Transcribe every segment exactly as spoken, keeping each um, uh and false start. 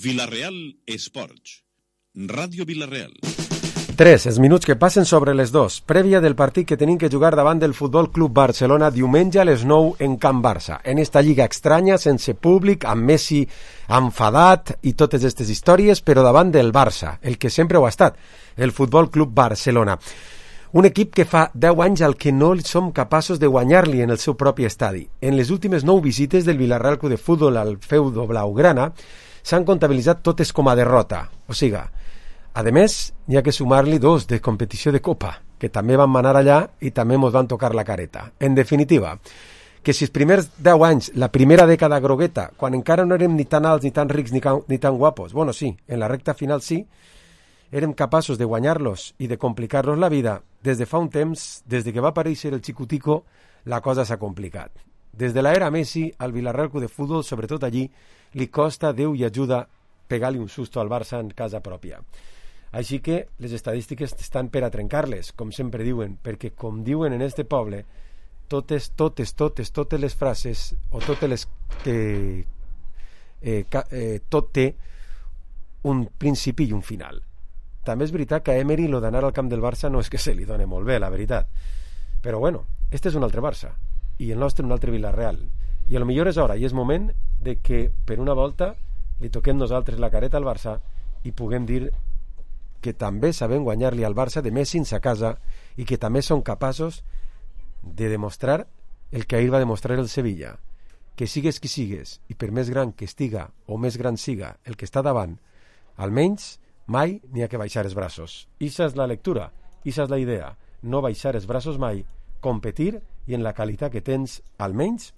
Vila-real Esports. Ràdio Vila-real. tres, els minuts que passen sobre les dos, prèvia del partit que tenim que jugar davant del Futbol Club Barcelona diumenge a les nou en Camp Barça, en esta lliga estranya, sense públic, amb Messi enfadat i totes aquestes històries, però davant del Barça, el que sempre ho ha estat, el Futbol Club Barcelona. Un equip que fa deu anys al que no som capaços de guanyar-li en el seu propi estadi. En les últimes nou visites del Villarreal Club de Futbol al feudo blaugrana s'han comptabilitzat totes com a derrota, o sigui, a més, n'hi ha que sumar-li dos de competició de Copa, que també van manar allà i també mos van tocar la careta. En definitiva, que si els primers deu anys, la primera dècada grogueta, quan encara no érem ni tan alts, ni tan rics, ni, ni tan guapos, bueno, sí, en la recta final sí, érem capaços de guanyar-los i de complicar-los la vida, des de fa un temps, des de que va aparèixer el Xicutico, la cosa s'ha complicat. Des de l'era Messi, al Villarreal Club de Futbol, sobretot allí, li costa, Déu i ajuda, pegar-li un susto al Barça en casa pròpia. Així que les estadístiques estan per a trencar-les, com sempre diuen, perquè com diuen en este poble, totes, totes, totes, totes les frases, o totes les que eh, eh, tot té un principi i un final. També és veritat que a Emery lo d'anar al camp del Barça no és que se li doni molt bé, la veritat. Però bueno, este és un altre Barça, i el nostre un altre Villarreal. I a lo millor és hora, i és moment de que per una volta li toquem nosaltres la careta al Barça i puguem dir que també sabem guanyar-li al Barça de Messi a casa i que també són capaços de demostrar el que ahir va demostrar el Sevilla, que sigues qui sigues i per més gran que estiga o més gran siga el que està davant, almenys mai n'hi ha que baixar els braços. Ixa és la lectura, ixa és la idea, no baixar els braços mai, competir i en la qualitat que tens almenys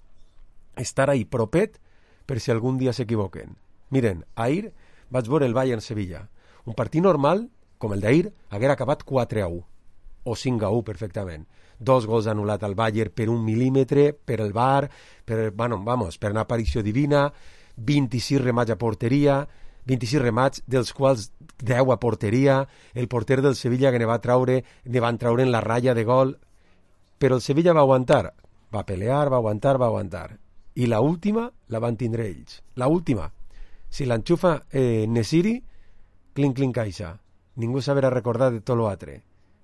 estar ahí propet per si algun dia s'equivoquen. Miren, ahir vaig veure el Bayern-Sevilla. Un partit normal, com el d'ahir, haguera acabat quatre a u, o cinc a u perfectament. Dos gols anul·lat al Bayern per un mil·límetre, per el V A R, per, bueno, vamos, per una aparició divina, vint-i-sis remats a porteria, vint-i-sis remats, dels quals deu a porteria, el porter del Sevilla que ne va traure, ne van traure en la ratlla de gol, però el Sevilla va aguantar, va pelear, va aguantar, va aguantar. I la última la van tindre ells. La última. Si l'enxufa eh, Nesiri, clink, clink, caixa. Ningú sabrà recordar de tot l'altre.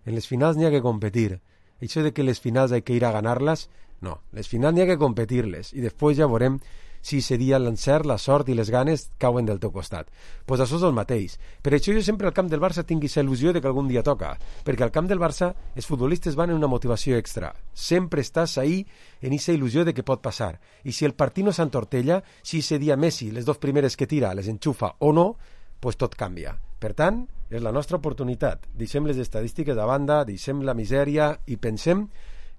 En les finals n'hi ha que competir. Això de que les finals hay que ir a ganarlas, no. Les finals n'hi ha que competir-les. I després ja veurem si ese dia l'encert, la sort i les ganes cauen del teu costat. Doncs pues això és el mateix. Per això jo sempre al camp del Barça tinc aquesta il·lusió de que algun dia toca. Perquè al camp del Barça els futbolistes van en una motivació extra. Sempre estàs ahí en aquesta il·lusió de que pot passar. I si el partit no s'entortella, si ese dia Messi, les dos primeres que tira, les enxufa o no, pues tot canvia. Per tant, és la nostra oportunitat. Deixem les estadístiques a banda, deixem la misèria i pensem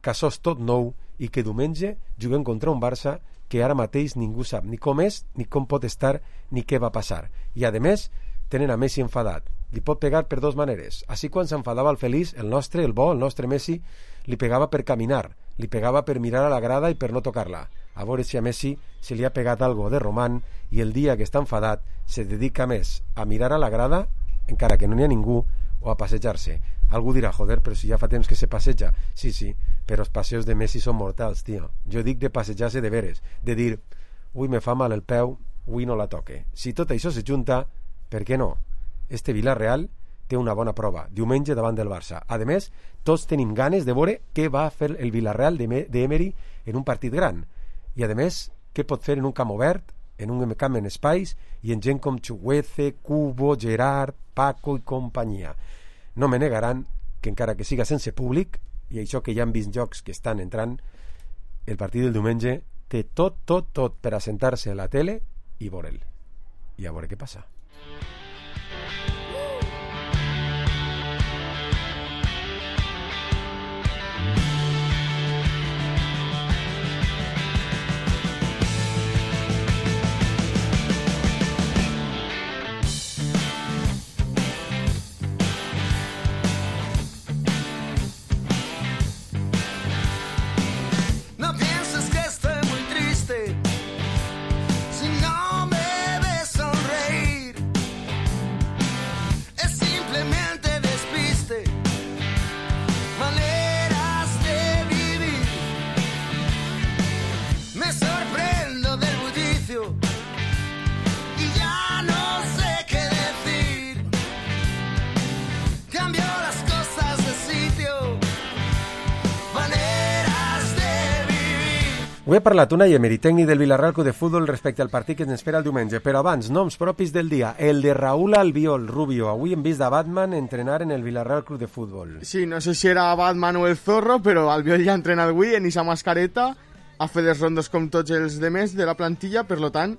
que això és tot nou i que diumenge juguem contra un Barça que ara mateix ningú sap ni com és, ni com pot estar, ni què va passar. I a més, tenen a Messi enfadat. Li pot pegar per dues maneres. Així quan s'enfadava el feliç, el nostre, el bo, el nostre Messi, li pegava per caminar, li pegava per mirar a la grada i per no tocar-la. A veure si a Messi se li ha pegat algo de román i el dia que està enfadat se dedica més a mirar a la grada, encara que no n'hi ha ningú, o a passejar-se. Algú dirà, joder, però si ja fa temps que se passeja. Sí, sí, però els passeos de Messi són mortals, tio. Jo dic de passejar-se de veres, de dir, ui, me fa mal el peu, ui, no la toque. Si tot això se junta, per què no? Este Villarreal té una bona prova, diumenge davant del Barça. A més, tots tenim ganes de veure què va fer el Villarreal d'Emery en un partit gran. I a més, què pot fer en un camp obert, en un camp en espais, i en gent com Chugueze, Cubo, Gerard, Paco i companyia. No me negaran que encara que siga sense públic, i això que ja han vist jocs que estan entrant, el partit del diumenge té tot, tot, tot per assentar-se a la tele i veure'l. I a veure què passa. Si no me ves sonreír, Ho he parlat una Emery, tècnic del Villarreal Club de Futbol, respecte al partit que ens espera el diumenge, però abans, noms propis del dia. El de Raúl Albiol Rubio. Avui hem vist a Batman entrenar en el Villarreal Club de Futbol. Sí, no sé si era Batman o el Zorro, però Albiol ja ha entrenat avui en esa mascareta, ha fet els rondos com tots els demés de la plantilla, per lo tant,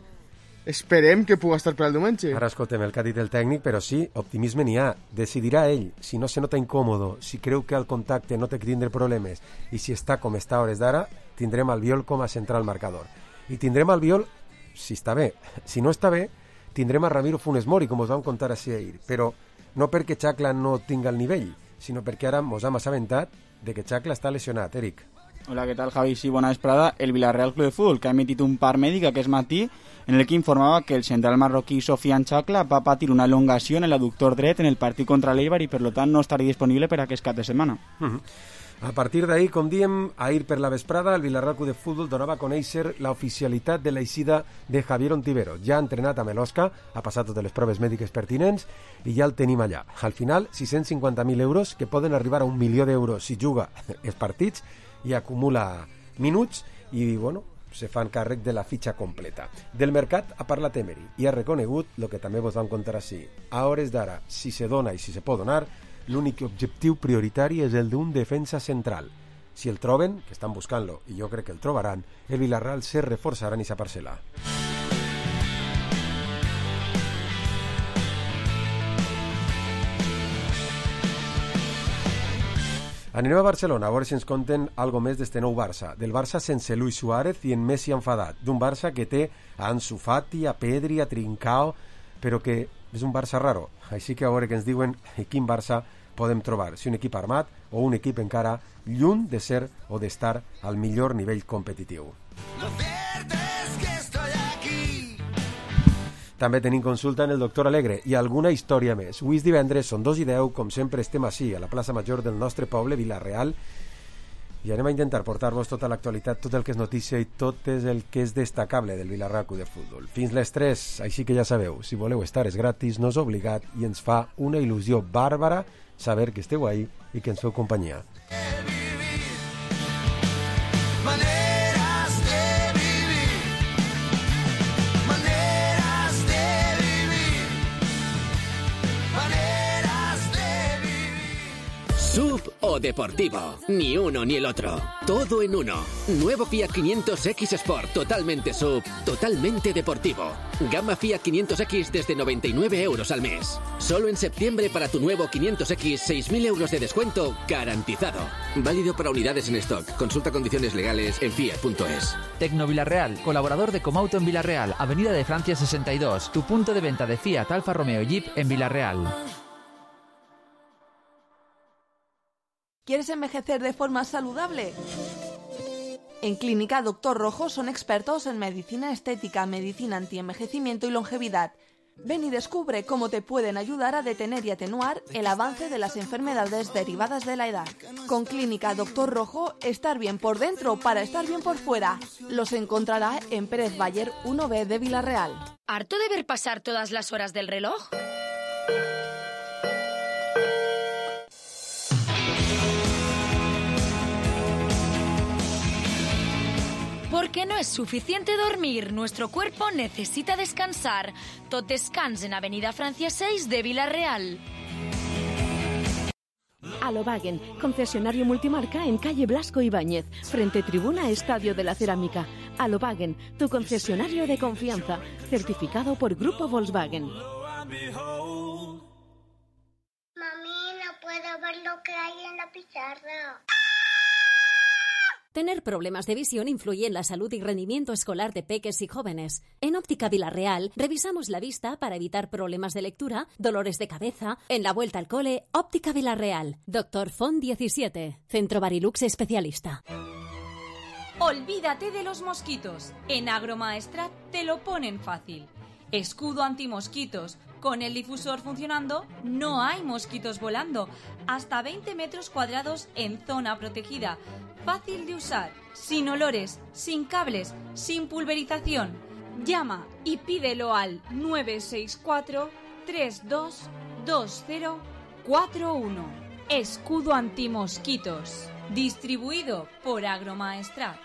esperem que pugui estar per al diumenge. Ara escoltem el que ha dit el tècnic, però sí, optimisme n'hi ha. Decidirà ell, si no se nota incòmodo, si creu que al contacte no té que tindre problemes, i si està com està a hores d'ara, tindrem Albiol com a central marcador. I tindrem Albiol si està bé. Si no està bé, tindrem a Ramiro Funes Mori, com us vam contar així ahir. Però no perquè Chacla no tinga el nivell, sinó perquè ara mos hem assabentat de que Chacla està lesionat. Eric. Hola, ¿qué tal, Javi? Sí, bona vesprada. El Villarreal Club de Fútbol, que ha emitit un part mèdic aquest matí en el que informava que el central marroquí Sofian Chacla va patir una elongació en l'adductor dret en el partit contra l'Eibar i, per lo tant, no estaria disponible per a aquest cap de setmana. Uh-huh. A partir d'ahir, com diem, ahir per la vesprada, el Villarreal Club de Futbol donava a conèixer l'oficialitat de l'eixida de Javier Ontivero. Ja ha entrenat amb l'Osca, ha passat totes les proves mèdiques pertinents i ja el tenim allà. Al final, sis-cents cinquanta mil euros, que poden arribar a un milió d'euros si juga els partits i acumula minuts i, bueno, se fan càrrec de la fitxa completa. Del mercat ha parlat Emery i ha reconegut el que també vos vam contar així. A hores d'ara, si se dona i si se pot donar, l'únic objectiu prioritari és el d'un defensa central. Si el troben, que estan buscant-lo, i jo crec que el trobaran, el Villarreal se reforçarà en aquesta parcel·la. Anem a Barcelona, a veure si ens conten algo més d'este nou Barça. Del Barça sense Luis Suárez i en Messi enfadat. D'un Barça que té a Ansu Fati, a Pedri, a Trincao, però que és un Barça raro. Així que a veure que ens diuen quin Barça podem trobar. Si un equip armat o un equip encara lluny de ser o d'estar al millor nivell competitiu. També tenim consulta en el doctor Alegre i alguna història més. Avui és divendres, són dos i deu, com sempre estem així, a la plaça Major del nostre poble, Vila-real, i anem a intentar portar-vos tota l'actualitat, tot el que és notícia i tot és el que és destacable del Villarreal Club de Futbol. Fins les tres, així que ja sabeu, si voleu estar és gratis, no és obligat i ens fa una il·lusió bàrbara saber que esteu ahí i que ens feu companyia. Sub o deportivo, ni uno ni el otro, todo en uno. Nuevo Fiat quinientos X Sport, totalmente sub, totalmente deportivo. Gama Fiat quinientos X desde noventa y nueve euros al mes. Solo en septiembre para tu nuevo quinientos X, seis mil euros de descuento garantizado. Válido para unidades en stock. Consulta condiciones legales en fiat punto es. Tecno Villarreal, colaborador de Comauto en Villarreal, Avenida de Francia sesenta y dos, tu punto de venta de Fiat, Alfa Romeo y Jeep en Villarreal. ¿Quieres envejecer de forma saludable? En Clínica Doctor Rojo son expertos en medicina estética, medicina antienvejecimiento y longevidad. Ven y descubre cómo te pueden ayudar a detener y atenuar el avance de las enfermedades derivadas de la edad. Con Clínica Doctor Rojo, estar bien por dentro para estar bien por fuera. Los encontrará en Pérez Bayer uno B de Villarreal. ¿Harto de ver pasar todas las horas del reloj? Porque no es suficiente dormir, nuestro cuerpo necesita descansar. Tot Descans en Avenida Francia seis de Villarreal. Alobagen, concesionario multimarca en calle Blasco Ibáñez, frente tribuna Estadio de la Cerámica. Alobagen, tu concesionario de confianza, certificado por Grupo Volkswagen. Mami, no puedo ver lo que hay en la pizarra. Tener problemas de visión influye en la salud y rendimiento escolar de peques y jóvenes. En Óptica Villarreal revisamos la vista para evitar problemas de lectura, dolores de cabeza. En la vuelta al cole, Óptica Villarreal. Doctor Font diecisiete, Centro Barilux especialista. Olvídate de los mosquitos. En Agromaestrat te lo ponen fácil. Escudo antimosquitos. Con el difusor funcionando, no hay mosquitos volando. Hasta veinte metros cuadrados en zona protegida. Fácil de usar, sin olores, sin cables, sin pulverización. Llama y pídelo al nueve seis cuatro, tres dos dos cero cuatro uno. Escudo antimosquitos. Distribuido por Agromaestrat.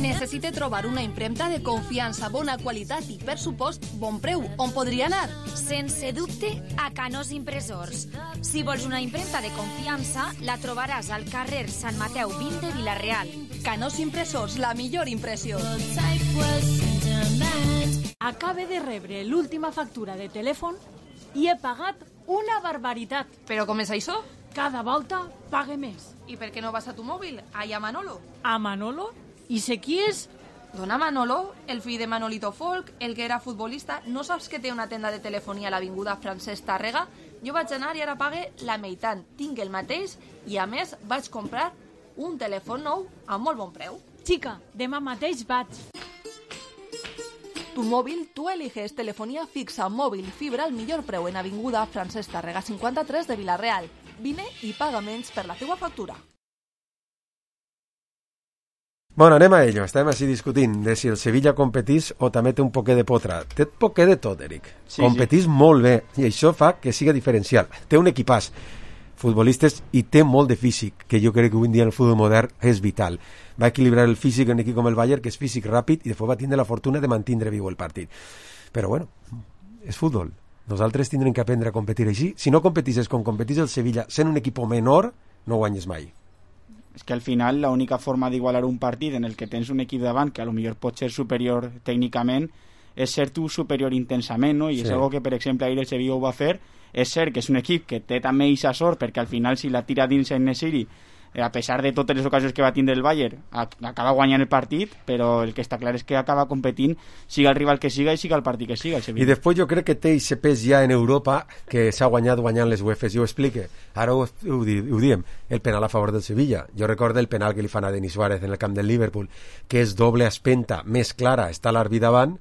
Necessite trobar una impremta de confiança, bona qualitat i, per supost, bon preu. On podria anar? Sense dubte, a Canós Impressors. Si vols una impremta de confiança, la trobaràs al carrer Sant Mateu vint de Vila-real. Canós Impressors, la millor impressió. Acabe de rebre l'última factura de telèfon i he pagat una barbaritat. Però com és això? Cada volta pague més. I per què no vas a tu mòbil? Allà a Manolo. A Manolo? I sé qui és? Dona Manolo, el fill de Manolito Folk, el que era futbolista. No saps que té una tenda de telefonia a l'avinguda Francesc Tàrrega? Jo vaig anar i ara pague la meitat. Tinc el mateix i, a més, vaig comprar un telèfon nou a molt bon preu. Xica, demà mateix vaig. Tu mòbil, tu eliges telefonia fixa, mòbil, fibra al millor preu en avinguda Francesc Tàrrega cinquanta-tres de Vila-real. Vine i paga menys per la teua factura. Bueno, anem a ello. Estàvem així discutint de si el Sevilla competís o també té un poquet de potra. Té un poquet de tot, Eric. Sí, competís sí. molt bé i això fa que siga diferencial. Té un equipàs, futbolistes, i té molt de físic, que jo crec que avui en dia en el futbol modern és vital. Va equilibrar el físic en un equip com el Bayern, que és físic ràpid, i després va tindre la fortuna de mantindre viu el partit. Però bueno, és futbol. Nosaltres tindrem que aprendre a competir així. Si no competisses com competís el Sevilla, sent un equip menor, no guanyes mai. És que al final l'única forma d'igualar un partit en el que tens un equip davant que a lo millor pot ser superior tècnicament és ser tu superior intensament, no? I sí. És algo que, per exemple, ahir el Sevilla ho va fer. És cert que és un equip que té també eixa sort, perquè al final si la tira dins en Nesiri, a pesar de totes les ocasions que va tindre el Bayern, acaba guanyant el partit, però el que està clar és que acaba competint, siga el rival que siga i siga el partit que siga. El Sevilla. I després jo crec que té aquest pes ja en Europa que s'ha guanyat guanyant les UEFAs. Jo ho explique. Ara ho, ho, ho diem, el penal a favor del Sevilla. Jo recordo el penal que li fan a Denis Suárez en el camp del Liverpool, que és doble espenta, més clara, està l'àrbit davant,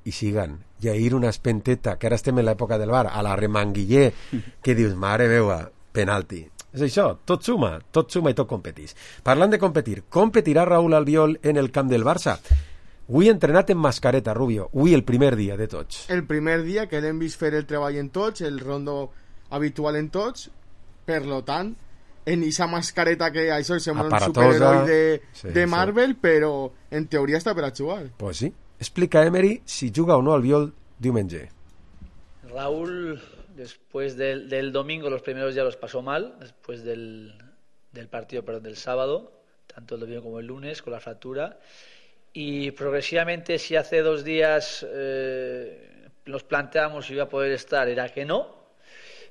i siguen. I ahir una espenteta, que ara estem en l'època del VAR, a la remanguiller, que dius, mare meva, penalti. És això, tot suma, tot suma i tot competís. Parlant de competir, competirà Raúl Albiol en el camp del Barça. Avui entrenat en mascareta, Rubio. Avui el primer dia de tots. El primer dia que l'hem vist fer el treball en tots, el rondo habitual en tots, per lo tant, en aquesta mascareta que això sembla un superheroi de, sí, de Marvel, sí. Però en teoria està per a jugar. Pues sí. Explica, Emery, si juga o no Albiol diumenge. Raúl, después del, del domingo, los primeros días los pasó mal, después del, del partido, perdón, del sábado, tanto el domingo como el lunes, con la fractura. Y progresivamente, si hace dos días eh, nos planteamos si iba a poder estar, era que no.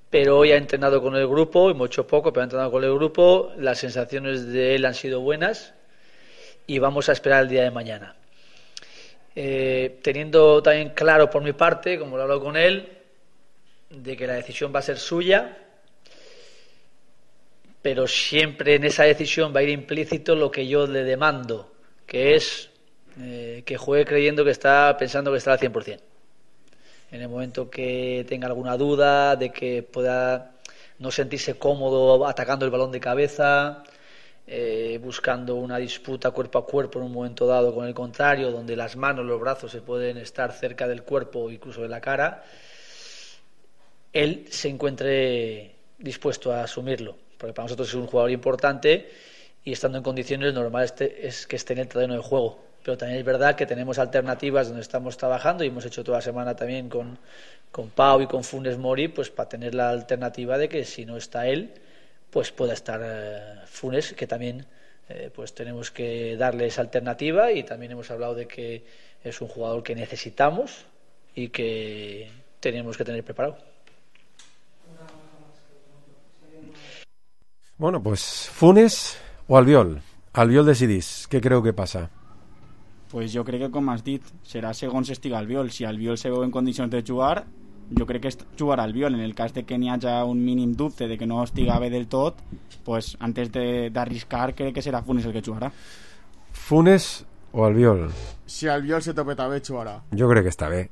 Pero hoy ha entrenado con el grupo, hemos hecho poco, pero ha entrenado con el grupo. Las sensaciones de él han sido buenas y vamos a esperar el día de mañana. Eh, teniendo también claro por mi parte, como lo he hablado con él, de que la decisión va a ser suya, pero siempre en esa decisión va a ir implícito lo que yo le demando, que es eh, que juegue creyendo que está, pensando que está al cien por ciento. En el momento que tenga alguna duda, de que pueda no sentirse cómodo atacando el balón de cabeza, Eh, buscando una disputa cuerpo a cuerpo en un momento dado con el contrario, donde las manos, los brazos se pueden estar cerca del cuerpo o incluso de la cara, él se encuentre dispuesto a asumirlo, porque para nosotros es un jugador importante y estando en condiciones normal este, es que esté en el terreno de juego. Pero también es verdad que tenemos alternativas donde estamos trabajando y hemos hecho toda la semana también con, con Pau y con Funes Mori, pues para tener la alternativa de que si no está él, pues pueda estar eh, Funes, que también eh, pues tenemos que darle esa alternativa, y también hemos hablado de que es un jugador que necesitamos y que tenemos que tener preparado. Bueno, pues Funes o Albiol. Albiol decidís. Què creu que passa? Pues jo crec que, com has dit, serà segons estiga Albiol. Si Albiol se veu en condicions de jugar, jo crec que jugarà Albiol. En el cas de que n'hi hagi un mínim dubte de que no estiga bé del tot, pues antes d'arriscar crec que serà Funes el que jugarà. Funes o Albiol? Si Albiol se topeta bé, jugarà. Jo crec que està bé,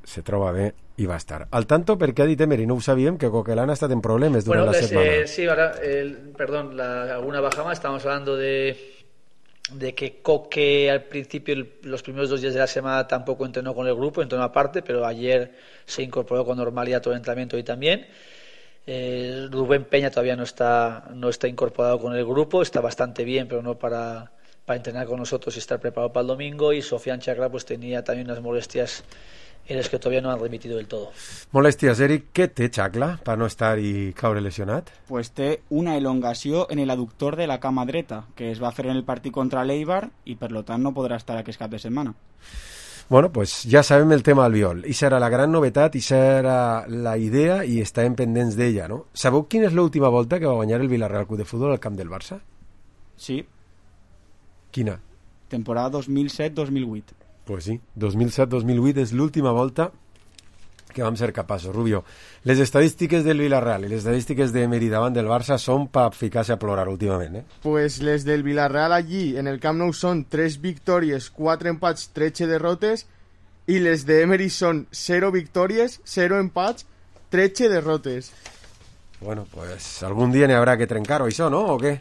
se troba bé i va estar. Al tanto, perquè ha dit Emery, no ho sabíem, que Coquelin ha estat en problemes durant bueno, la setmana. Eh, sí, ahora, el, perdón, la, alguna baja más. Estábamos hablando de de que Coque al principio, el, los primeros dos días de la semana tampoco entrenó con el grupo, entrenó aparte, pero ayer se incorporó con normalidad todo el entrenamiento y también. Eh, Rubén Peña todavía no está, no está incorporado con el grupo, está bastante bien, pero no para para entrenar con nosotros y estar preparado para el domingo, y Sofian Chakla pues tenía también unas molestias en las que todavía no han remitido del todo. Molèsties, Eric. Què té Chakla per no estar i caure lesionat? Pues té una elongació en el aductor de la cama dreta, que es va fer en el partit contra l'Eibar i per lo tant no podrà estar aquest cap de setmana. Bueno, pues ja sabem el tema Albiol. I serà la gran novetat, i serà la idea, i estarem pendents d'ella, no? Sabeu quina és l'última volta que va guanyar el Villarreal Club de Futbol al camp del Barça? Sí. Quina? Temporada dos mil set dos mil vuit. Pues sí, dos mil set dos mil vuit és l'última volta que vam ser capaços. Rubio, les estadístiques del Villarreal i les estadístiques d'Emery davant del Barça són per ficar-se a plorar últimament, eh? Pues les del Villarreal allí, en el Camp Nou, són tres victòries, quatre empats, tretze derrotes, i les d'Emery són zero victòries, zero empats, tretze derrotes. Bueno, pues algun dia n'hi haurà que trencar-ho, això, no? O què?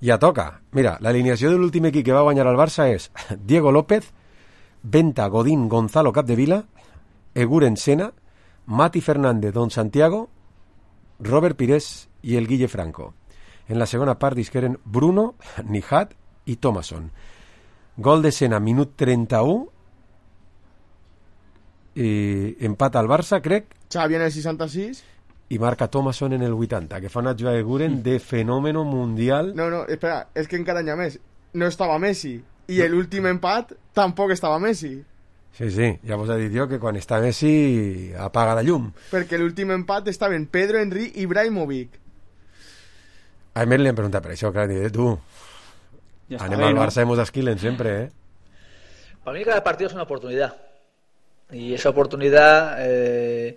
Ja toca. Mira, l'alineació de l'últim equip que va guanyar el Barça és Diego López, Venta, Godín, Gonzalo Capdevila, Eguren Sena, Mati Fernández, Don Santiago, Robert Pires i el Guille Franco. En la segona part disqueren Bruno, Nihat i Thomason. Gol de Sena, minut trenta-u, i empat al Barça, crec. Xavi en el seixanta-sis. I marca Thomason en el vuitanta, que fa una jugada de Eguren de fenómeno mundial. No, no, espera, és que encara n'hi ha més. No estava Messi. I no. L'últim empat tampoc estava Messi. Sí, sí, ja vos he dit jo que quan està Messi apaga la llum. Perquè l'últim empat estaven Pedro, Henry i Ibrahimovic. A Emer li hem preguntat per això, clar, diré, tu, ja anem bé, al Barça, ¿no? Hemos esquilen sempre, ¿eh? Para mí cada partido es una oportunidad. Y esa oportunidad, eh,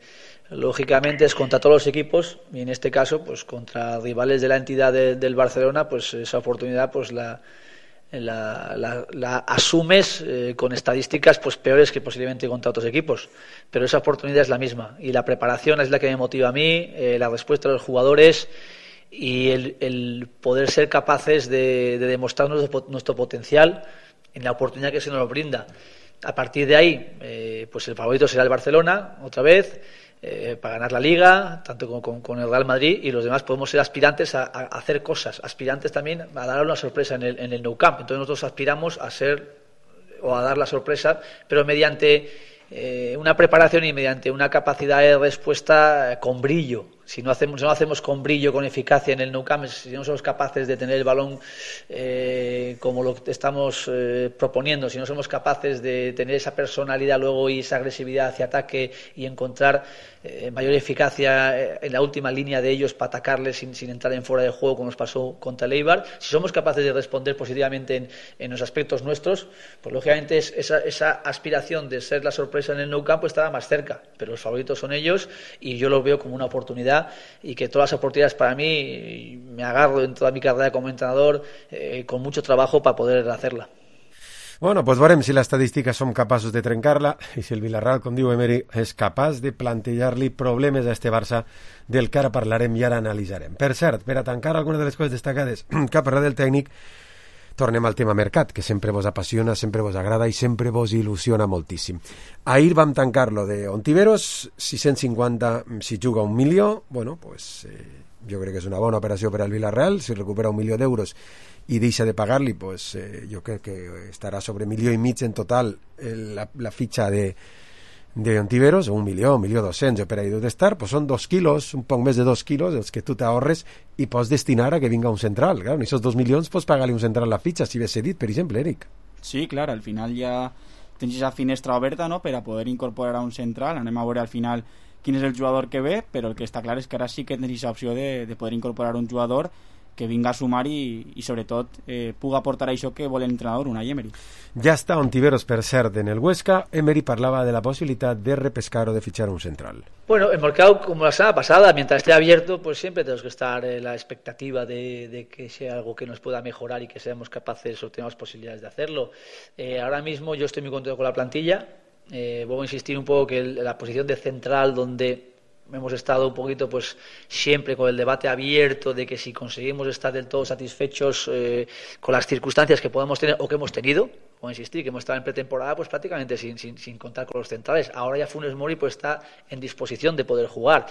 lógicamente, es contra todos los equipos, y en este caso, pues contra rivales de la entidad de, del Barcelona, pues esa oportunidad, pues la... La, la, la asumes eh, con estadísticas pues peores que posiblemente contra otros equipos, pero esa oportunidad es la misma y la preparación es la que me motiva a mí, eh, la respuesta de los jugadores y el, el poder ser capaces de, de demostrar nuestro, nuestro potencial en la oportunidad que se nos brinda. A partir de ahí, eh, pues el favorito será el Barcelona otra vez, Eh, para ganar la Liga, tanto con, con, con el Real Madrid, y los demás podemos ser aspirantes a, a hacer cosas, aspirantes también a dar una sorpresa en el, en el Nou Camp. Entonces nosotros aspiramos a ser o a dar la sorpresa, pero mediante eh, una preparación y mediante una capacidad de respuesta eh, con brillo. Si no hacemos, si no hacemos con brillo, con eficacia en el Nou Camp, si no somos capaces de tener el balón eh, como lo que estamos eh, proponiendo, si no somos capaces de tener esa personalidad luego y esa agresividad hacia ataque y encontrar eh, mayor eficacia eh, en la última línea de ellos para atacarles sin, sin entrar en fuera de juego como nos pasó contra el Eibar, si somos capaces de responder positivamente en, en los aspectos nuestros, pues lógicamente es, esa, esa aspiración de ser la sorpresa en el Nou Camp pues estará más cerca, pero los favoritos son ellos y yo lo veo como una oportunidad y que todas las oportunidades para mí me agarro en toda mi carrera como entrenador eh, con mucho trabajo para poder hacerla. Bueno, pues veurem si les estadístiques som capaços de trencar-la i si el Villarreal, com diu Emery, és capaç de plantejar-li problemes a este Barça del que ara parlarem i ara analitzarem. Per cert, per a tancar algunes de les coses destacades que ha parlat del tècnic, tornem al tema mercat, que sempre vos apassiona, sempre vos agrada i sempre vos il·lusiona moltíssim. Ahir vam tancar-lo de Ontiveros, sis-cents cinquanta si juga un milió, bueno, pues eh, jo crec que és una bona operació per al Villarreal, si recupera un milió d'euros i deixa de pagar-li, pues eh, jo crec que estarà sobre milió i mig en total eh, la, la fitxa de, de Ontiveros, un milió, un milió dos-cents, per ahí deu d'estar, pues són dos quilos, un poc més de dos quilos, els que tu t'ahorres i pots destinar a que vinga un central. Claro, en aquests dos milions pots pagar-li un central la fitxa, si ves cedit, per exemple, Eric. Sí, clar, al final ja tens esa finestra oberta, no?, per a poder incorporar a un central. Anem a veure al final quin és el jugador que ve, però el que està clar és que ara sí que tens aquesta opció de, de poder incorporar un jugador que vinga a sumar i, i sobretot eh, puga aportar això que vol l'entrenador, Unai Emery. Ja està Ontiveros, per cert, en el Huesca. Emery parlava de la posibilitat de repescar o de fichar un central. Bueno, el mercado, como la semana pasada, mientras esté abierto, pues siempre tenemos que estar en la expectativa de, de que sea algo que nos pueda mejorar y que seamos capaces o tengamos posibilidades de hacerlo. Eh, ahora mismo yo estoy muy contento con la plantilla. Eh, voy a insistir un poco que el, la posición de central, donde hemos estado un poquito pues siempre con el debate abierto de que si conseguimos estar del todo satisfechos eh, con las circunstancias que podemos tener o que hemos tenido, como insistir, que hemos estado en pretemporada pues prácticamente sin, sin, sin contar con los centrales. Ahora ya Funes Mori pues está en disposición de poder jugar.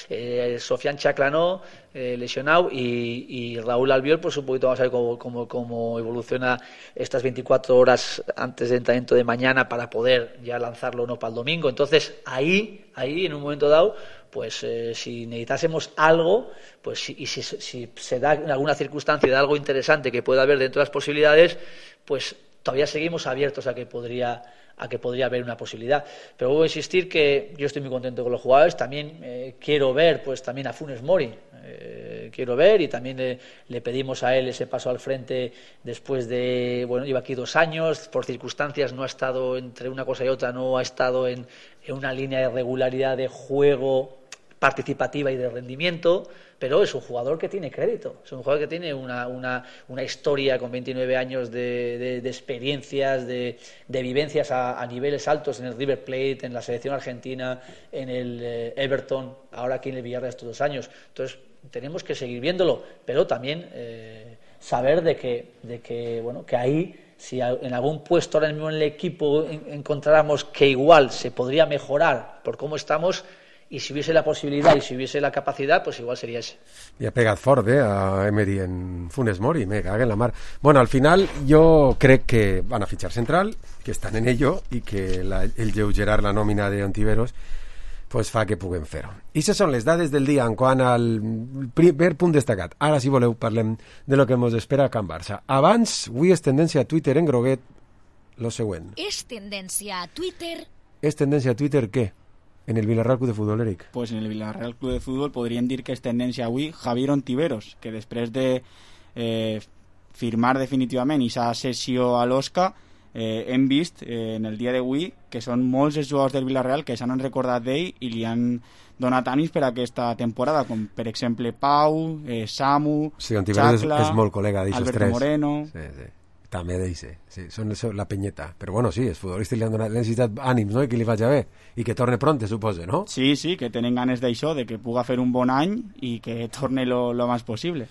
Eh, Sofian Chaclanó, eh, lesionado, y, y Raúl Albiol, pues un poquito vamos a ver cómo, cómo, cómo evoluciona estas veinticuatro horas antes del entrenamiento de mañana para poder ya lanzarlo o no para el domingo. Entonces ahí, ahí en un momento dado, pues eh, si necesitásemos algo, pues si, y si, si se da en alguna circunstancia de algo interesante que pueda haber dentro de las posibilidades, pues todavía seguimos abiertos a que podría a que podría haber una posibilidad. Pero voy a insistir que yo estoy muy contento con los jugadores. También eh, quiero ver pues también a Funes Mori, eh, quiero ver, y también le, le pedimos a él ese paso al frente después de, bueno, lleva aquí dos años, por circunstancias no ha estado entre una cosa y otra, no ha estado en, en una línea de regularidad de juego participativa y de rendimiento, pero es un jugador que tiene crédito, es un jugador que tiene una, una, una historia con veintinueve años de, de, de experiencias, de, de vivencias a, a niveles altos en el River Plate, en la selección argentina, en el eh, Everton, ahora aquí en el Villarreal estos dos años. Entonces tenemos que seguir viéndolo, pero también eh, saber de que, de que, bueno, que ahí, si en algún puesto ahora mismo en el equipo encontráramos que igual se podría mejorar por cómo estamos, y si hubiese la posibilidad y si hubiese la capacidad, pues igual sería ese. Y ha pegat fort, eh, a Emery en Funes Mori, me caga en la mar. Bueno, al final yo crec que van a fichar central, que estan en ello, i que la, el lleugerar la nòmina d'Ontiveros pues fa que puguem fer-ho. I aquestes són les dades del dia en quant al primer punt destacat. Ara, si voleu, parlem de lo que ens espera a Can Barça. Abans, avui és tendència a Twitter en groguet lo següent. És tendència a Twitter... És tendència a Twitter què? En el Villarreal Club de Fútbol, Eric. Pues en el Villarreal Club de Fútbol podríem dir que és tendència avui Javier Ontiveros, que després de eh, firmar definitivament aquesta sessió a l'Osca, eh, hem vist eh, en el dia d'avui que són molts els jugadors del Villarreal que s'han recordat d'ell i li han donat ànims per a aquesta temporada, com per exemple Pau, eh, Samu, sí, Ontiveros Chacla, és molt col·lega d'aixos tres. Alberto Moreno... Sí, sí. També d'eixe, sí, són la penyeta. Però bueno, sí, els futbolistes li han donat necessitat ànims, no?, i que li vagi bé, i que torne pronte, suposo, no? Sí, sí, que tenen ganes d'això, de que puga fer un bon any i que torne lo, lo més possible.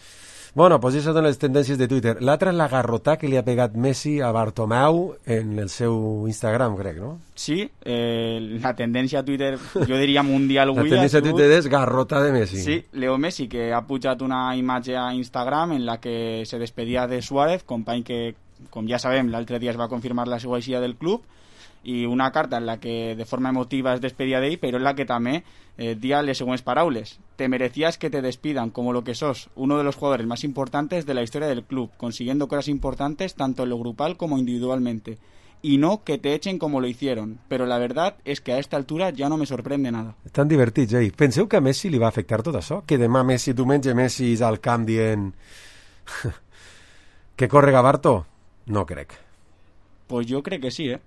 Bueno, pues això són les tendències de Twitter. L'altra és la garrotà que li ha pegat Messi a Bartomeu en el seu Instagram, crec, no? Sí, eh, la tendència a Twitter, jo diria mundial avui... La tendència a Twitter és garrota de Messi. Sí, Leo Messi, que ha pujat una imatge a Instagram en la que se despedia de Suárez, company que, com ja sabem, l'altre dia es va confirmar la seva eixida del club, i una carta en la que de forma emotiva es despedia d'ell, però en la que també eh, dia les següents paraules. Te merecías que te despidan como lo que sos, uno de los jugadores más importantes de la historia del club, consiguiendo cosas importantes tanto en lo grupal como individualmente. Y no que te echen como lo hicieron, pero la verdad es que a esta altura ya no me sorprende nada. Estan divertits, eh? Penseu que a Messi li va afectar tot això? Que demà Messi, diumenge Messi és al camp dient que corre Gabarto? No crec. Pues jo crec que sí, eh?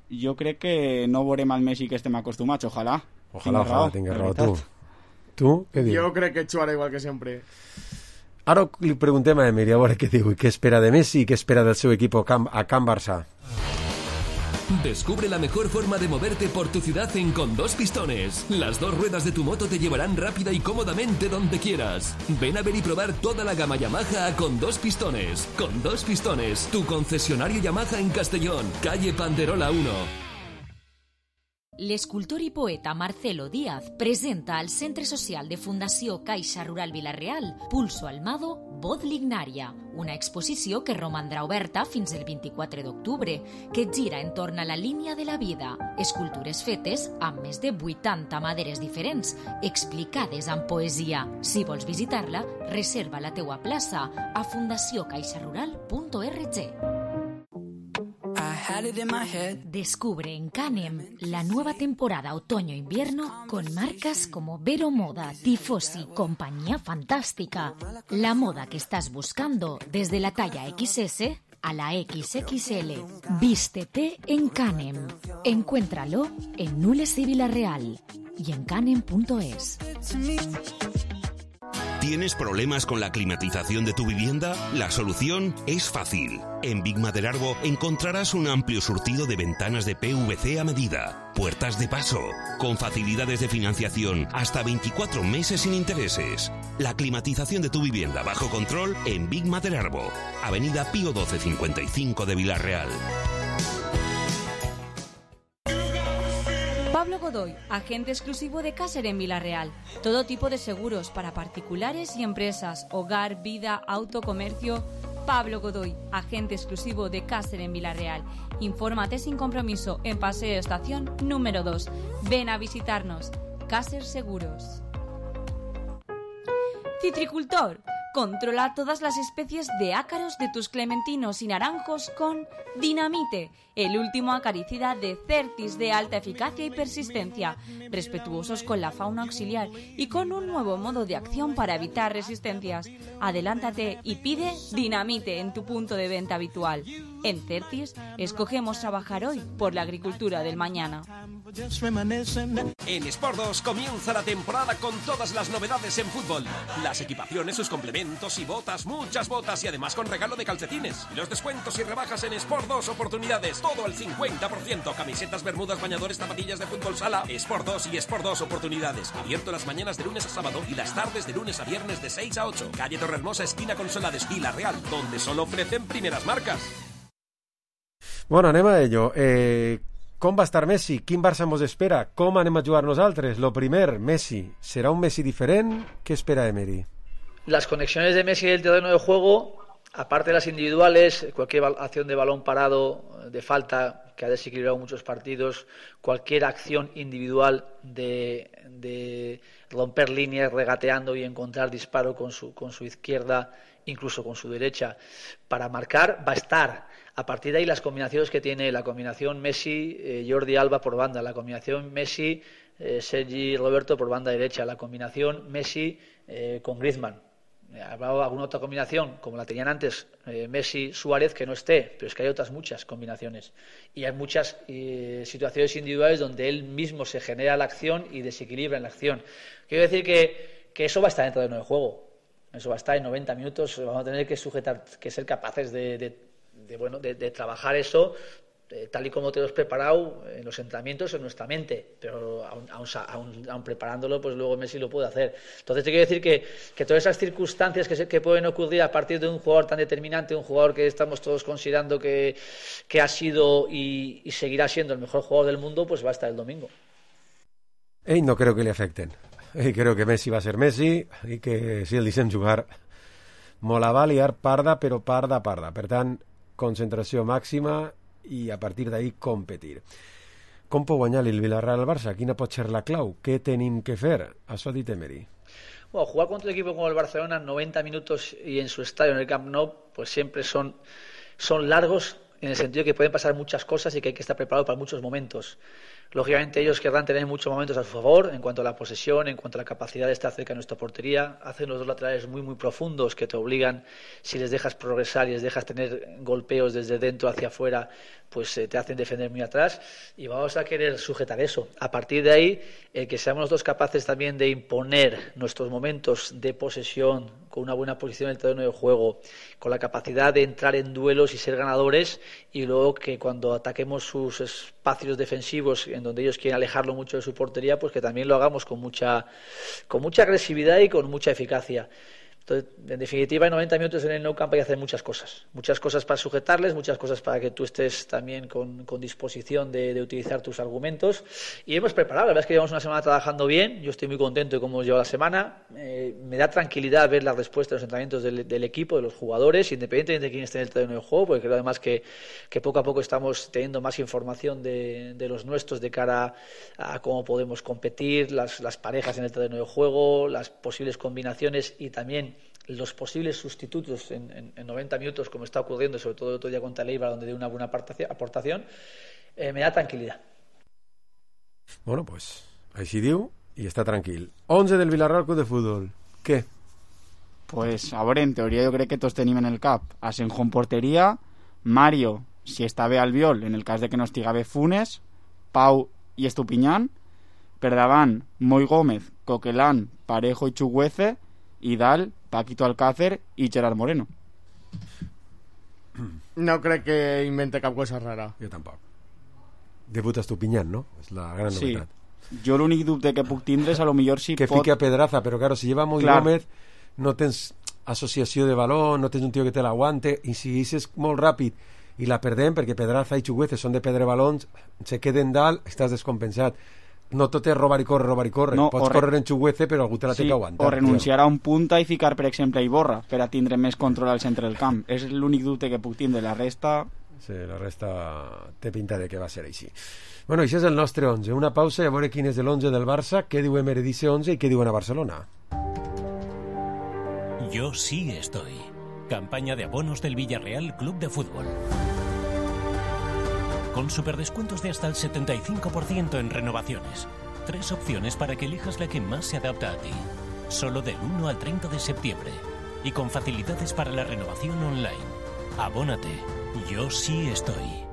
Jo crec que no veurem al Messi que estem acostumats, ojalà. Ojalà, ojalà, tingues raó tu. Tu, què dius? Jo crec que xuarà igual que sempre. Ara li preguntem a Emery a veure què diu i què espera de Messi i què espera del seu equip a Can Barça. Descubre la mejor forma de moverte por tu ciudad en Con Dos Pistones. Las dos ruedas de tu moto te llevarán rápida y cómodamente donde quieras. Ven a ver y probar toda la gama Yamaha a Con Dos Pistones. Con Dos Pistones, tu concesionario Yamaha en Castellón, calle Panderola uno. L'escultor i poeta Marcelo Díaz presenta al Centre Social de Fundació Caixa Rural Vila-real Pulso Almado, Voz Lignaria, una exposició que romandrà oberta fins el vint-i-quatre d'octubre, que gira entorn a la línia de la vida, escultures fetes amb més de vuitanta maderes diferents, explicades amb poesia. Si vols visitar-la, reserva la teua plaça a fundació caixa rural punt org. Descubre en Canem la nueva temporada otoño-invierno con marcas como Vero Moda, Tifosi, Compañía Fantástica. La moda que estás buscando desde la talla equis ese a la equis equis ele. Vístete en Canem. Encuéntralo en Nules y Villarreal y en canem punto es. ¿Tienes problemas con la climatización de tu vivienda? La solución es fácil. En Big Maderarbo encontrarás un amplio surtido de ventanas de P V C a medida, puertas de paso, con facilidades de financiación hasta veinticuatro meses sin intereses. La climatización de tu vivienda bajo control en Big Maderarbo, Avenida Pío doce cincuenta y cinco de Villarreal. Pablo Godoy, agente exclusivo de Caser en Villarreal. Todo tipo de seguros para particulares y empresas, hogar, vida, auto, comercio. Pablo Godoy, agente exclusivo de Caser en Villarreal. Infórmate sin compromiso en Paseo Estación número dos. Ven a visitarnos. Caser Seguros. Citricultor. Controla todas las especies de ácaros de tus clementinos y naranjos con Dinamite, el último acaricida de Certis de alta eficacia y persistencia, respetuosos con la fauna auxiliar y con un nuevo modo de acción para evitar resistencias. Adelántate y pide Dinamite en tu punto de venta habitual. En Certis, escogemos trabajar hoy por la agricultura del mañana. En Sport dos comienza la temporada con todas las novedades en fútbol. Las equipaciones, sus complementos y botas, muchas botas y además con regalo de calcetines. Los descuentos y rebajas en Sport dos Oportunidades, todo al cincuenta por ciento. Camisetas, bermudas, bañadores, zapatillas de fútbol sala. Sport dos y Sport dos Oportunidades. Abierto las mañanas de lunes a sábado y las tardes de lunes a viernes de seis a ocho. Calle Torrehermosa, esquina con Solades, Villarreal, donde solo ofrecen primeras marcas. Bueno, anem a ello. Eh, com va estar Messi? Quin Barça mos espera? Com anem a jugar nosaltres? Lo primer, Messi. ¿Será un Messi diferent? ¿Qué espera Emery? Las conexiones de Messi en el terreno de juego, aparte de las individuales, cualquier acción de balón parado, de falta, que ha desequilibrado muchos partidos, cualquier acción individual de, de romper líneas regateando y encontrar disparo con su, con su izquierda, incluso con su derecha, para marcar, va a estar. A partir de ahí las combinaciones que tiene, la combinación Messi, eh, Jordi Alba por banda, la combinación Messi, eh, Sergi Roberto por banda derecha, la combinación Messi eh, con Griezmann. Habrá alguna otra combinación, como la tenían antes, eh, Messi, Suárez, que no esté, pero es que hay otras muchas combinaciones. Y hay muchas eh, situaciones individuales donde él mismo se genera la acción y desequilibra en la acción. Quiero decir que, que eso va a estar dentro del juego. Eso va a estar en noventa minutos, vamos a tener que sujetar, que ser capaces de... de De, bueno, de, de trabajar eso eh, tal y como te lo has preparado en los entrenamientos en nuestra mente, pero aún, aún, aún, aún preparándolo, pues luego Messi lo puede hacer. Entonces te quiero decir que, que todas esas circunstancias que, se, que pueden ocurrir a partir de un jugador tan determinante, un jugador que estamos todos considerando que, que ha sido y, y seguirá siendo el mejor jugador del mundo, pues va a estar el domingo. Ell no creo que li afecten. Ell creo que Messi va a ser Messi i que si el deixem jugar me la va liar parda, però parda, parda. Per tant, concentració màxima i a partir d'ahí competir. Com pot guanyar el Villarreal al Barça? Quina pot ser la clau? Què tenim que fer? Això ha dit Emery. Bueno, jugar contra un equipo como el Barcelona noventa minutos y en su estadio, en el Camp Nou, pues siempre son, son largos en el sentido que pueden pasar muchas cosas y que hay que estar preparado para muchos momentos. Lógicamente ellos querrán tener muchos momentos a su favor en cuanto a la posesión, en cuanto a la capacidad de estar cerca de nuestra portería. Hacen los dos laterales muy muy profundos que te obligan, si les dejas progresar y les dejas tener golpeos desde dentro hacia afuera, pues eh, te hacen defender muy atrás y vamos a querer sujetar eso. A partir de ahí, eh, que seamos los dos capaces también de imponer nuestros momentos de posesión con una buena posición en el terreno de juego, con la capacidad de entrar en duelos y ser ganadores, y luego que cuando ataquemos sus espacios defensivos en donde ellos quieren alejarlo mucho de su portería, pues que también lo hagamos con mucha, con mucha agresividad y con mucha eficacia. Entonces, en definitiva, en noventa minutos en el Nou Camp hay que hacer muchas cosas. Muchas cosas para sujetarles, muchas cosas para que tú estés también con, con disposición de, de utilizar tus argumentos. Y hemos preparado, la verdad es que llevamos una semana trabajando bien. Yo estoy muy contento de cómo hemos llevado la semana. Eh, me da tranquilidad ver la respuesta de los entrenamientos del, del equipo, de los jugadores, independientemente de quién esté en el terreno de juego, porque creo además que, que poco a poco estamos teniendo más información de, de los nuestros de cara a cómo podemos competir, las, las parejas en el terreno de juego, las posibles combinaciones y también los posibles sustitutos en, en, en noventa minutos, como está ocurriendo, sobre todo el otro día contra el Eibar, donde dio una buena aportación, eh, me da tranquilidad. Bueno, pues així diu i està tranquil. once del Villarreal Club de Fútbol. Què? Pues, a veure, en teoria jo crec que tots tenim en el cap Asenjo en porteria, Mario, si està bé Albiol, en el cas de que no estiga bé Funes, Pau i Estupiñán, per davant Moi Gómez, Coquelán, Parejo i Chuguece, i dalt Paquito Alcácer i Gerard Moreno. No crec que invente cap cosa rara. Jo tampoc. Debuta Estupiñán, no? És la gran sí. novetat. Jo l'únic dubte que puc tindre és a lo millor si que pot... fique a Pedraza, però claro, si lleva Moi Gómez no tens associació de baló, no tens un tio que te l'aguante, i si és molt ràpid i la perdem perquè Pedraza i Chuguece són de perdre balons, se queden dalt, estàs descompensat. no tot és robar i córrer, robar i córrer. No, Pots re... córrer en xuguece, però algú te la sí, té que aguantar. O renunciar tio. a un punta i ficar, per exemple, Iborra, per a tindre més control al centre del camp. És l'únic dubte que puc tindre. La resta... Sí, la resta té pinta de que va ser així. Bueno, això és el nostre onze. Una pausa i a veure quin és l'onze del Barça, què diu Emeredice onze i què diuen a Barcelona. Yo sí estoy. Campaña de abonos del Villarreal Club de Fútbol. Con superdescuentos de hasta el setenta y cinco por ciento en renovaciones. Tres opciones para que elijas la que más se adapta a ti. Solo del uno al treinta de septiembre. Y con facilidades para la renovación online. Abónate. Yo sí estoy.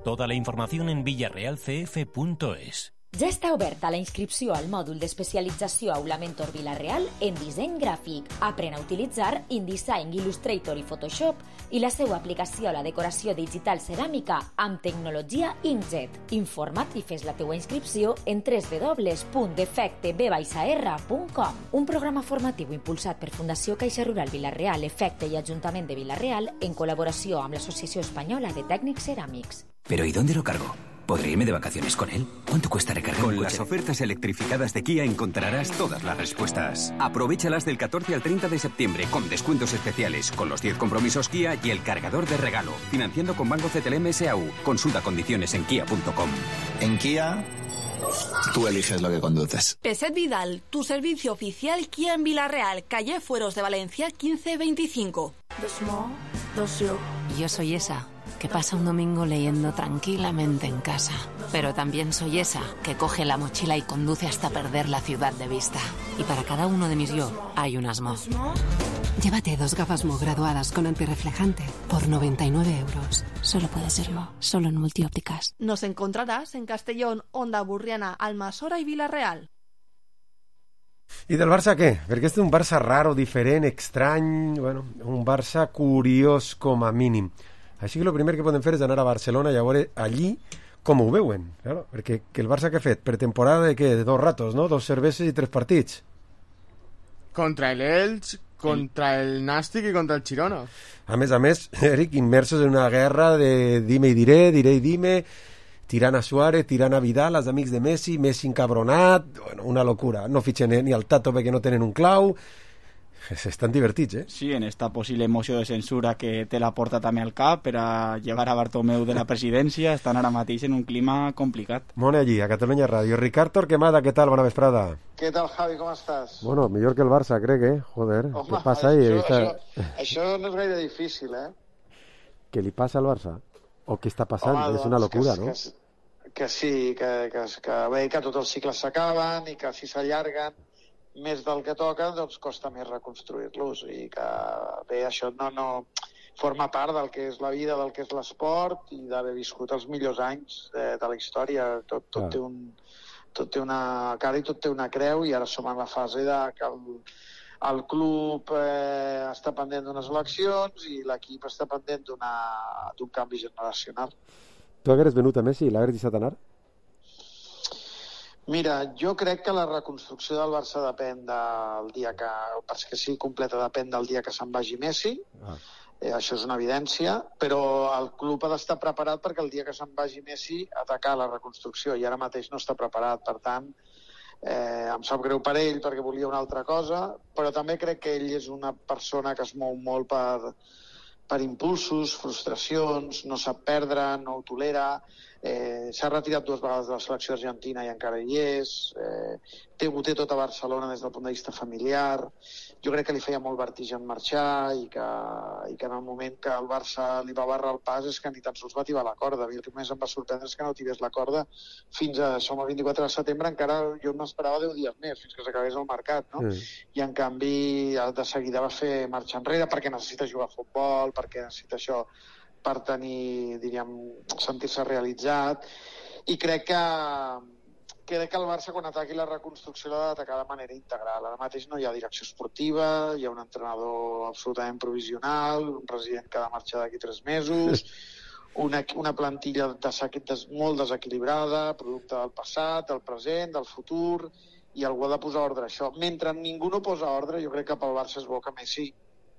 Toda la información en villarreal c f punto es. Ja està oberta la inscripció al mòdul d'especialització Aula Mentor Vila-real en disseny gràfic. Aprèn a utilitzar InDesign, Illustrator i Photoshop i la seva aplicació a la decoració digital ceràmica amb tecnologia inkjet. Informa't i fes la teua inscripció en w w w punt defecte b r punt com. Un programa formatiu impulsat per Fundació Caixa Rural Vila-real, Efecte i Ajuntament de Vila-real en col·laboració amb l'Associació Espanyola de Tècnics Ceràmics. ¿Pero y dónde lo cargo? ¿Podré irme de vacaciones con él? ¿Cuánto cuesta recargar Con un coche? las ofertas electrificadas de Kia encontrarás todas las respuestas. Aprovéchalas del catorce al treinta de septiembre con descuentos especiales, con los diez compromisos Kia y el cargador de regalo. Financiando con Banco C T L M S A U. Consulta condiciones en kia punto com. En Kia, tú eliges lo que conduces. Peset Vidal, tu servicio oficial Kia en Vila-real, calle Fueros de Valencia quince veinticinco. Yo soy esa que pasa un domingo leyendo tranquilamente en casa. Pero también soy esa que coge la mochila y conduce hasta perder la ciudad de vista. Y para cada uno de mis yo hay un asmo. Llévate dos gafas Mo graduadas con antirreflejante por noventa y nueve euros. Solo puede serlo, solo en Multiópticas. Nos encontrarás en Castellón, Onda Burriana, Almassora y Vila-real. I del Barça què? Perquè és un Barça raro, diferent, estrany, bueno, un Barça curiós com a mínim. Així que el primer que poden fer és anar a Barcelona i a veure allí com ho veuen, claro, perquè que el Barça que ha fet? Pretemporada de què? De dos ratos, no? Dos cerveses i tres partits. Contra el Elx, contra el Nàstic i contra el Girona. A més a més, Eric, immersos en una guerra de dime i diré, diré i dime, tirant a Suárez, tirant a Vidal, els amics de Messi, Messi encabronat, bueno, una locura. No fitxen ni al Tato perquè no tenen un clau. Estan divertits, eh? Sí, en esta possible moció de censura que té la porta també al cap per a llevar a Bartomeu de la presidència, estan ara mateix en un clima complicat. Mone allí, a Catalunya Ràdio. Ricard Torquemada, què tal? Bona vesprada. Què tal, Javi? Com estàs? Bueno, millor que el Barça, crec, eh? Joder, Home, què passa ahí? Això, Esta... això, això no és gaire difícil, eh? Què li passa al Barça? O què està passant? Home, és una locura, que, no? Que, que sí, que, que, que bé, que tots els cicles s'acaben i que si s'allarguen més del que toca, doncs costa més reconstruir-los i que bé, això no, no forma part del que és la vida, del que és l'esport i d'haver viscut els millors anys de, de la història. Tot, tot, ah. té un, tot té una cara i tot té una creu i ara som en la fase de que el, el club eh, està pendent d'unes eleccions i l'equip està pendent d'un canvi generacional. Tu hagueres venut a Messi i l'hagueres deixat anar? Mira, jo crec que la reconstrucció del Barça depèn del dia que... perquè sigui completa depèn del dia que se'n vagi Messi. Ah. Eh, això és una evidència, però el club ha d'estar preparat perquè el dia que se'n vagi Messi atacar la reconstrucció i ara mateix no està preparat. Per tant, eh, em sap greu per ell perquè volia una altra cosa, però també crec que ell és una persona que es mou molt per, per impulsos, frustracions, no sap perdre, no ho tolera. Eh, s'ha retirat dues vegades de la selecció argentina i encara hi és, eh, té, ho té tot a Barcelona des del punt de vista familiar. Jo crec que li feia molt vertigen marxar i que, i que en el moment que el Barça li va barrar el pas és que ni tan sols va tibar la corda. A mi el que més em va sorprendre és que no tibés la corda fins a, som el vint-i-quatre de setembre, encara jo m'esperava deu dies més fins que s'acabés el mercat, no? Mm. I en canvi de seguida va fer marxa enrere perquè necessita jugar a futbol, perquè necessita això per tenir, diríem, sentir-se realitzat, i crec que, crec que el Barça quan ataqui la reconstrucció l'ha d'atacar de manera integral. Ara mateix no hi ha direcció esportiva, hi ha un entrenador absolutament provisional, un president que ha de marxar d'aquí tres mesos, una, una plantilla de, de, molt desequilibrada, producte del passat, del present, del futur, i algú ha de posar ordre a això. Mentre ningú no posa ordre, jo crec que pel Barça és bo que Messi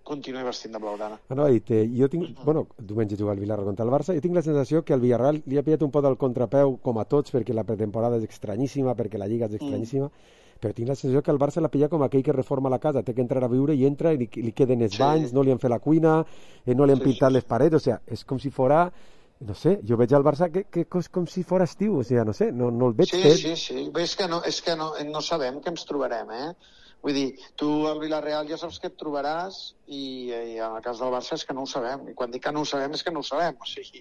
continuï vestint de blaugrana. Anava a dir, jo tinc, bueno, diumenge jugar el Villarreal contra el Barça, jo tinc la sensació que el Villarreal li ha pillat un pot al contrapeu, com a tots, perquè la pretemporada és estranyíssima, perquè la Lliga és estranyíssima, mm. però tinc la sensació que el Barça l'ha pillat com aquell que reforma la casa, té que entrar a viure i entra i li, li queden els sí. banys, no li han fet la cuina, eh, no li han sí, pintat sí. les parets, o sea, és com si fora, no sé, jo veig al Barça que, que és com si fora estiu, o sea, no sé, no, no el veig sí, fet. Sí, sí, sí, és que, no, és que no, no sabem què ens trobarem, eh? Vull dir, tu al Villarreal ja saps què et trobaràs i, i en el cas del Barça és que no ho sabem. I quan dic que no ho sabem és que no ho sabem. O sigui,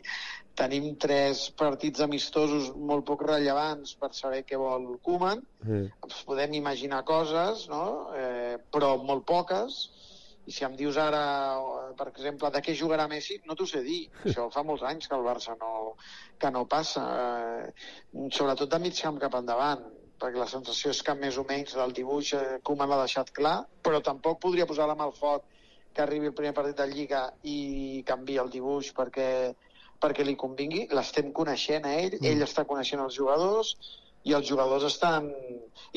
tenim tres partits amistosos molt poc rellevants per saber què vol Koeman. Sí. Podem imaginar coses, no? Eh, però molt poques. I si em dius ara, per exemple, de què jugarà Messi, no t'ho sé dir. Això fa molts anys que el Barça no, que no passa. Eh, sobretot de mig camp cap endavant, perquè la sensació és que més o menys del dibuix eh, Koeman l'ha deixat clar, però tampoc podria posar la mà al foc que arribi el primer partit de Lliga i canvia el dibuix perquè, perquè li convingui. L'estem coneixent a ell, mm. ell està coneixent els jugadors i els jugadors estan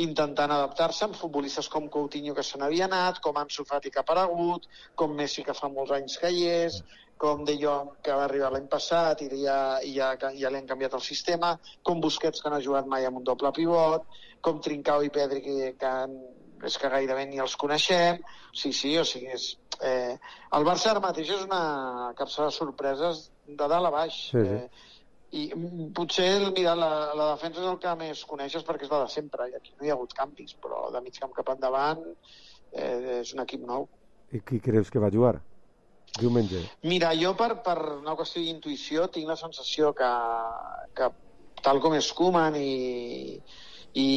intentant adaptar-se amb futbolistes com Coutinho que se n'havia anat, com Ansu Fati que ha aparegut, com Messi que fa molts anys que hi és, com De Jong que va arribar l'any passat i ja, ja, ja li han canviat el sistema, com Busquets que no ha jugat mai amb un doble pivot, com Trincao i Pedri que, que han, és que gairebé ni els coneixem. Sí, sí, o sigui, és, eh, el Barça ara mateix és una capsa de sorpreses de dalt a baix. Sí, sí. Eh, i potser mira, la, la defensa és el que més coneixes perquè és la de sempre i aquí no hi ha hagut canvis, però de mig camp cap endavant eh, és un equip nou. I qui creus que va jugar diumenge? Mira, jo per, per una qüestió d'intuïció tinc la sensació que, que tal com és Koeman i, i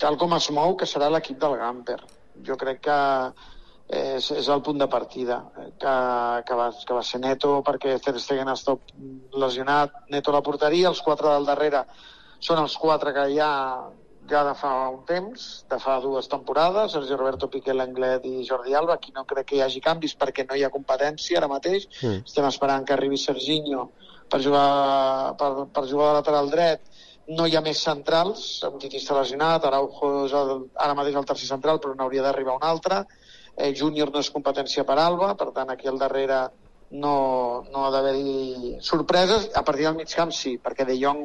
tal com es mou, que serà l'equip del Gamper. Jo crec que és, és el punt de partida, que, que, va, que va ser Neto perquè Ter Stegen ha estat lesionat, Neto a la porteria, els quatre del darrere són els quatre que hi ha ja de fa un temps, de fa dues temporades, Sergio Roberto, Piqué, Lenglet i Jordi Alba. Aquí no crec que hi hagi canvis perquè no hi ha competència ara mateix. Mm. Estem esperant que arribi Serginho per jugar, per, per jugar de lateral dret. No hi ha més centrals, un Titi està lesionat, Araujo és el, ara mateix el tercer central, però n'hauria d'arribar un altre. Eh, Júnior no és competència per Alba, per tant aquí al darrere no, no ha d'haver-hi sorpreses. A partir del mig camp sí, perquè De Jong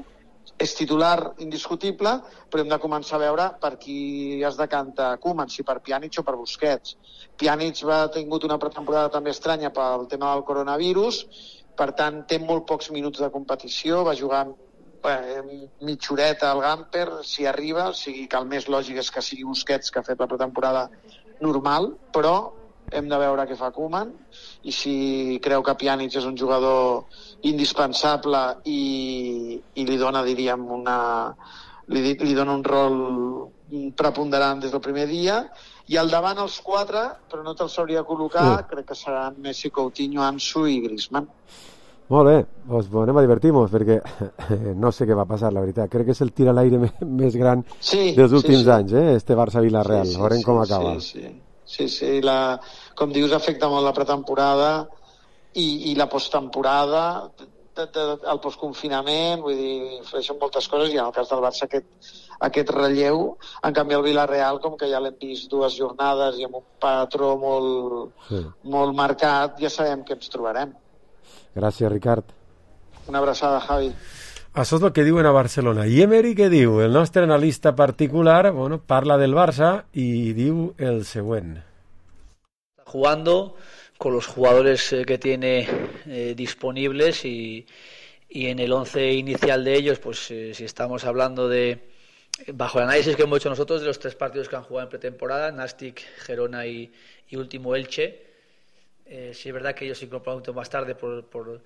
és titular indiscutible, però hem de començar a veure per qui es decanta Koeman, si per Pjanic o per Busquets. Pjanic va tingut una pretemporada també estranya pel tema del coronavirus, per tant té molt pocs minuts de competició, va jugar eh, mitja horeta al Gamper, si arriba, o sigui que el més lògic és que sigui Busquets, que ha fet la pretemporada normal, però hem de veure què fa Koeman i si creu que Pjanic és un jugador indispensable i, i li dona, diríem, una, li, li dona un rol preponderant des del primer dia. I al davant els quatre, però no te'ls hauria de col·locar, sí. Crec que seran Messi, Coutinho, Ansu i Griezmann. Molt bé, doncs anem a divertir-nos perquè no sé què va passar, la veritat. Crec que és el tir a l'aire més gran sí, dels últims sí, sí. anys, eh? Este Barça-Villarreal. Sí, sí, veurem sí, com acaba. Sí, sí. Sí, sí, la, com dius, afecta molt la pretemporada i, i la posttemporada, de, de, el postconfinament, vull dir, influeixen moltes coses i en el cas del Barça aquest, aquest relleu. En canvi el Villarreal, com que ja l'hem vist dues jornades i amb un patró molt, sí. molt marcat, ja sabem què ens trobarem. Gràcies, Ricard. Una abraçada, Javi. Això és el que diuen a Barcelona. I Emery què diu? El nostre analista particular, bueno, parla del Barça y diu el següent. Jugando con los jugadores eh, que tiene eh, disponibles y, y en el once inicial de ellos, pues eh, si estamos hablando de, bajo el análisis que hemos hecho nosotros de los tres partidos que han jugado en pretemporada, Nastic, Gerona y, y último Elche, eh, sí es verdad que ellos se incorporaron un poquito más tarde por... por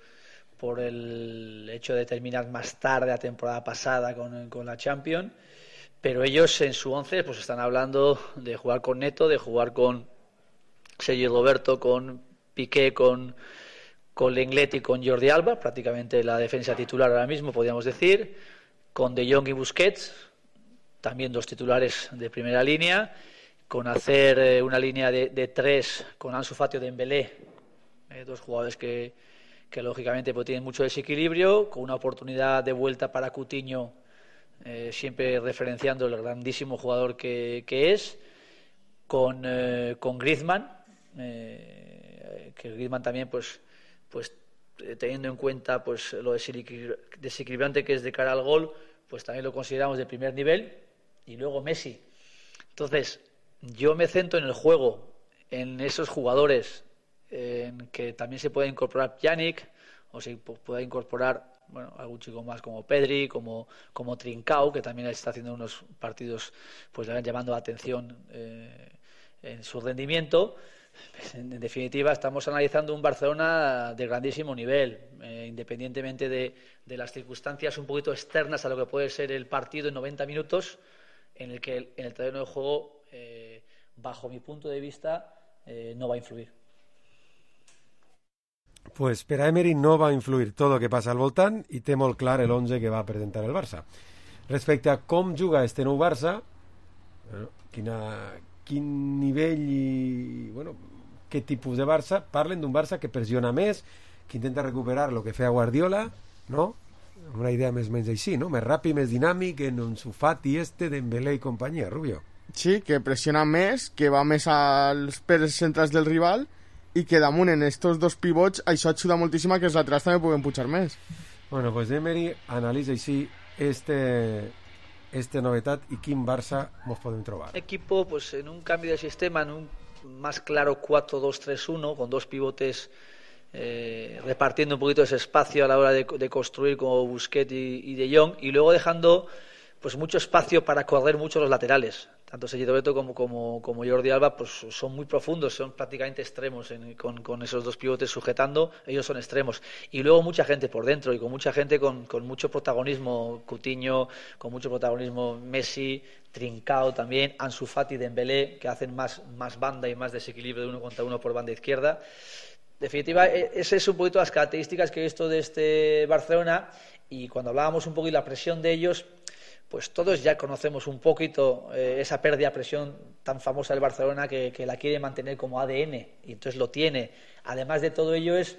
por el hecho de terminar más tarde la temporada pasada con, con la Champions, pero ellos en su once pues están hablando de jugar con Neto, de jugar con Sergio Roberto, con Piqué, con, con Lenglet y con Jordi Alba, prácticamente la defensa titular ahora mismo, podríamos decir, con De Jong y Busquets, también dos titulares de primera línea, con hacer eh, una línea de, de tres con Ansu Fati o Dembélé, eh, dos jugadores que que lógicamente pues, tienen mucho desequilibrio, con una oportunidad de vuelta para Coutinho, eh, siempre referenciando el grandísimo jugador que, que es, con, eh, con Griezmann, eh, que Griezmann también, pues, pues teniendo en cuenta pues lo desequilibrante que es de cara al gol, pues también lo consideramos de primer nivel. Y luego Messi. Entonces, yo me centro en el juego, en esos jugadores, en que también se puede incorporar Pjanic, o se puede incorporar, bueno, algún chico más como Pedri, como, como Trincao, que también está haciendo unos partidos pues llamando la atención eh, en su rendimiento. En definitiva, estamos analizando un Barcelona de grandísimo nivel, eh, independientemente de, de las circunstancias un poquito externas a lo que puede ser el partido en noventa minutos, en el que el, en el terreno de juego, eh, bajo mi punto de vista, eh, no va a influir. Pues per a Emery no va a influir tot el que passa al voltant i té molt clar l'onze que va presentar el Barça. Respecte a com juga este nou Barça, bueno, quina, quin nivell i bueno, què tipus de Barça, parlen d'un Barça que pressiona més, que intenta recuperar el que feia Guardiola, no? Una idea més o menys així, no? Més ràpid, més dinàmic, en Ansu Fati este, Dembélé i companyia, Rubio. Sí, que pressiona més, que va més als peres centrals del rival i que damunt en estos dos pivots això ajuda moltíssim a que els laterals també puguen pujar més. Bueno, pues Emery analitza així este, este novetat i quin Barça mos podem trobar. Equipo pues en un cambio de sistema, en un más claro cuatro dos tres uno, con dos pivotes eh, repartiendo un poquito ese espacio a la hora de, de construir como Busquets y, y De Jong, y luego dejando pues mucho espacio para correr mucho los laterales. Tanto Sergi Roberto como, como, como Jordi Alba pues son muy profundos, son prácticamente extremos en, con, con esos dos pivotes sujetando, ellos son extremos. Y luego mucha gente por dentro y con mucha gente con, con mucho protagonismo, Coutinho, con mucho protagonismo Messi, Trincao también, Ansu Fati, Dembélé, que hacen más, más banda y más desequilibrio de uno contra uno por banda izquierda. En definitiva, esas son un poquito las características que he visto de este Barcelona, y cuando hablábamos un poco de la presión de ellos, pues todos ya conocemos un poquito eh, esa pérdida de presión tan famosa del Barcelona que, que la quiere mantener como A D N, y entonces lo tiene. Además de todo ello es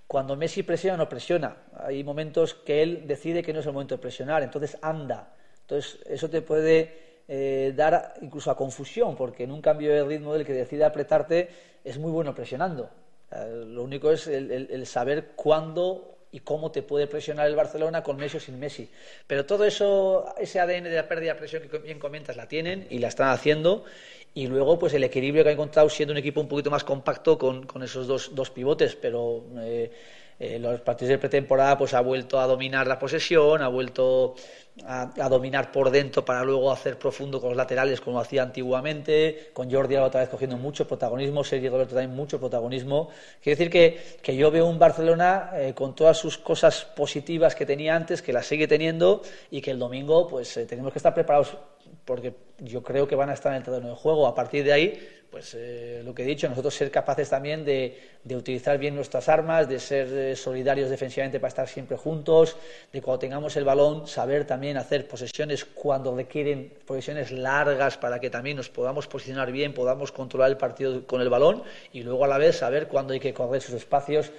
cuando Messi presiona o no presiona. Hay momentos que él decide que no es el momento de presionar, entonces anda. Entonces eso te puede eh, dar incluso a confusión, porque en un cambio de ritmo del que decide apretarte es muy bueno presionando. Eh, lo único es el, el, el saber cuándo y cómo te puede presionar el Barcelona con Messi o sin Messi. Pero todo eso, ese A D N de la pérdida de presión que bien comentas, la tienen y la están haciendo. Y luego pues el equilibrio que ha encontrado siendo un equipo un poquito más compacto con, con esos dos, dos pivotes, pero eh, eh, los partidos de pretemporada pues ha vuelto a dominar la posesión, ha vuelto a, a dominar por dentro para luego hacer profundo con los laterales como hacía antiguamente, con Jordi Alba otra vez cogiendo mucho protagonismo, Sergi Roberto también mucho protagonismo. Quiero decir que, que yo veo un Barcelona eh, con todas sus cosas positivas que tenía antes, que las sigue teniendo, y que el domingo pues eh, tenemos que estar preparados, porque yo creo que van a estar en el terreno de juego. A partir de ahí, pues eh, lo que he dicho, nosotros ser capaces también de, de utilizar bien nuestras armas, de ser eh, solidarios defensivamente para estar siempre juntos, de cuando tengamos el balón saber también hacer posesiones cuando requieren posesiones largas para que también nos podamos posicionar bien, podamos controlar el partido con el balón, y luego a la vez saber cuándo hay que correr sus espacios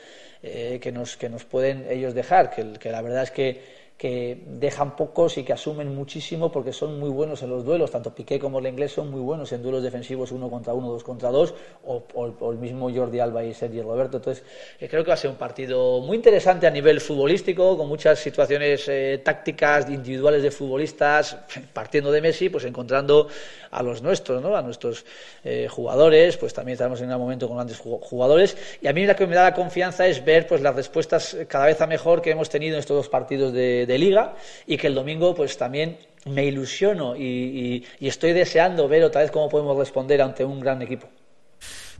eh, que, nos, que nos pueden ellos dejar, que, que la verdad es que que dejan pocos y que asumen muchísimo porque son muy buenos en los duelos. Tanto Piqué como el inglés son muy buenos en duelos defensivos uno contra uno, dos contra dos, o, o, o el mismo Jordi Alba y Sergi Roberto. Entonces eh, creo que va a ser un partido muy interesante a nivel futbolístico, con muchas situaciones eh, tácticas individuales de futbolistas, partiendo de Messi, pues encontrando a los nuestros, ¿no? A nuestros eh, jugadores. Pues también estamos en un momento con grandes jugadores, y a mí la que me da la confianza es ver pues las respuestas cada vez a mejor que hemos tenido en estos dos partidos de de Liga, y que el domingo pues también me ilusiono y, y, y estoy deseando ver otra vez cómo podemos responder ante un gran equipo.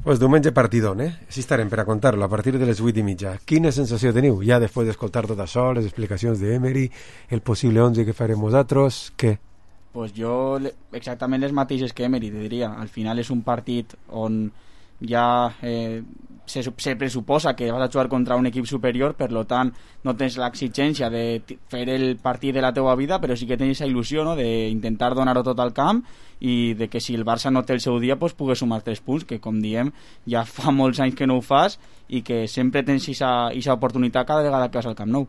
Pues diumenge partidón, eh? Així estarem per a contar-lo a partir de les vuit i mitja. Quina sensació teniu ja després d'escoltar tot això, les explicacions d'Emery, el possible onze que farem nosaltres, què? Pues jo exactament les mateixes que Emery, te diria. Al final és un partit on ja eh, se, se pressuposa que vas a jugar contra un equip superior, per lo tant no tens l'exigència de fer el partit de la teua vida, però sí que tens aquesta il·lusió, no?, d'intentar donar-ho tot al camp, i de que si el Barça no té el seu dia pues pugues sumar tres punts, que com diem ja fa molts anys que no ho fas, i que sempre tens aquesta oportunitat cada vegada que vas al Camp Nou.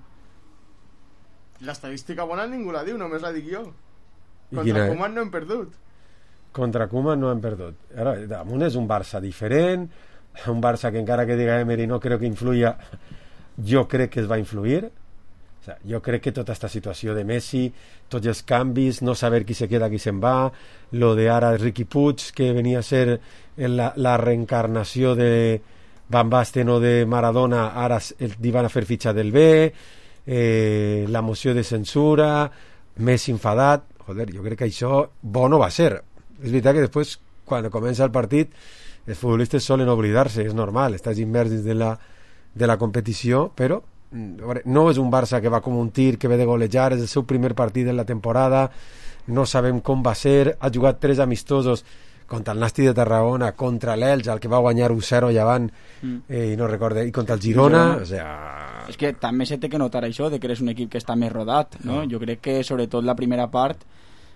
L'estadística bona ningú la diu, només la dic jo. Contra el Coman no hem perdut. contra Koeman no han perdut. Ara, damunt és un Barça diferent, un Barça que encara que diga Emery no crec que influïa, jo crec que es va influir. O sea, jo crec que tota aquesta situació de Messi, tots els canvis, no saber qui se queda, qui se'n va, lo de ara Riqui Puig, que venia a ser la, la reencarnació de Van Basten o de Maradona, ara li van a fer fitxa del B, eh, la moció de censura, Messi enfadat. Joder, jo crec que això bo no va ser. És veritat que després, quan comença el partit, els futbolistes solen oblidar-se, és normal, estàs immers dins de la, de la competició, però no és un Barça que va com un tir, que ve de golejar, és el seu primer partit de la temporada, no sabem com va ser, ha jugat tres amistosos contra el Nasti de Tarragona, contra l'Elx, el que va guanyar u zero llevant, mm. eh, i no recorde, i contra el Girona, Girona. O sea... És que també se té que notar això, de que eres un equip que està més rodat, no? no. Jo crec que sobretot la primera part,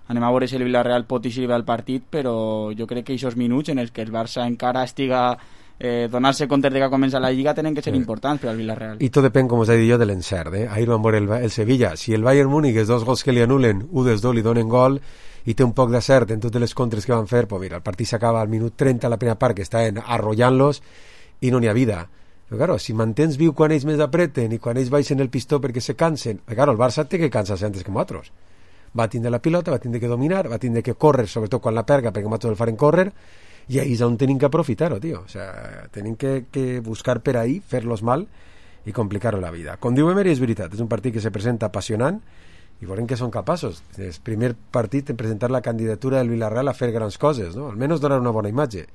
anem a veure si el Villarreal pot eixir bé el partit, però jo crec que aquests minuts en els que el Barça encara estiga eh, donar-se compte de que comença la Lliga tenen que ser sí. importants per al Villarreal. I tot depèn, com us he dit jo, de l'encert, eh? Ahir vam veure el, el Sevilla, si el Bayern Múnich, els dos gols que li anulen, u dels dos li donen gol, i té un poc d'acert en totes les contres que van fer, pues mira, el partit s'acaba al minut trenta, la primera part, que estaven arrollant-los i no n'hi ha vida. Però claro, si mantens viu quan ells més apreten i quan ells baixen el pistó perquè se cansen, claro, el Barça té que cansar-se antes que nosaltres. Va tindre la pilota, va tindre que dominar, va tindre que córrer, sobretot quan la perga, perquè nosaltres el farem córrer, i ahí és on tenim que aprofitar-ho, tio. O sea, tenim que, que buscar per ahí, fer-los mal i complicar-ho la vida. Com diu Emery, és veritat, és un partit que se presenta apassionant, i veurem que són capaços. És el primer partit en presentar la candidatura del Villarreal a fer grans coses, no? Almenys donar una bona imatge,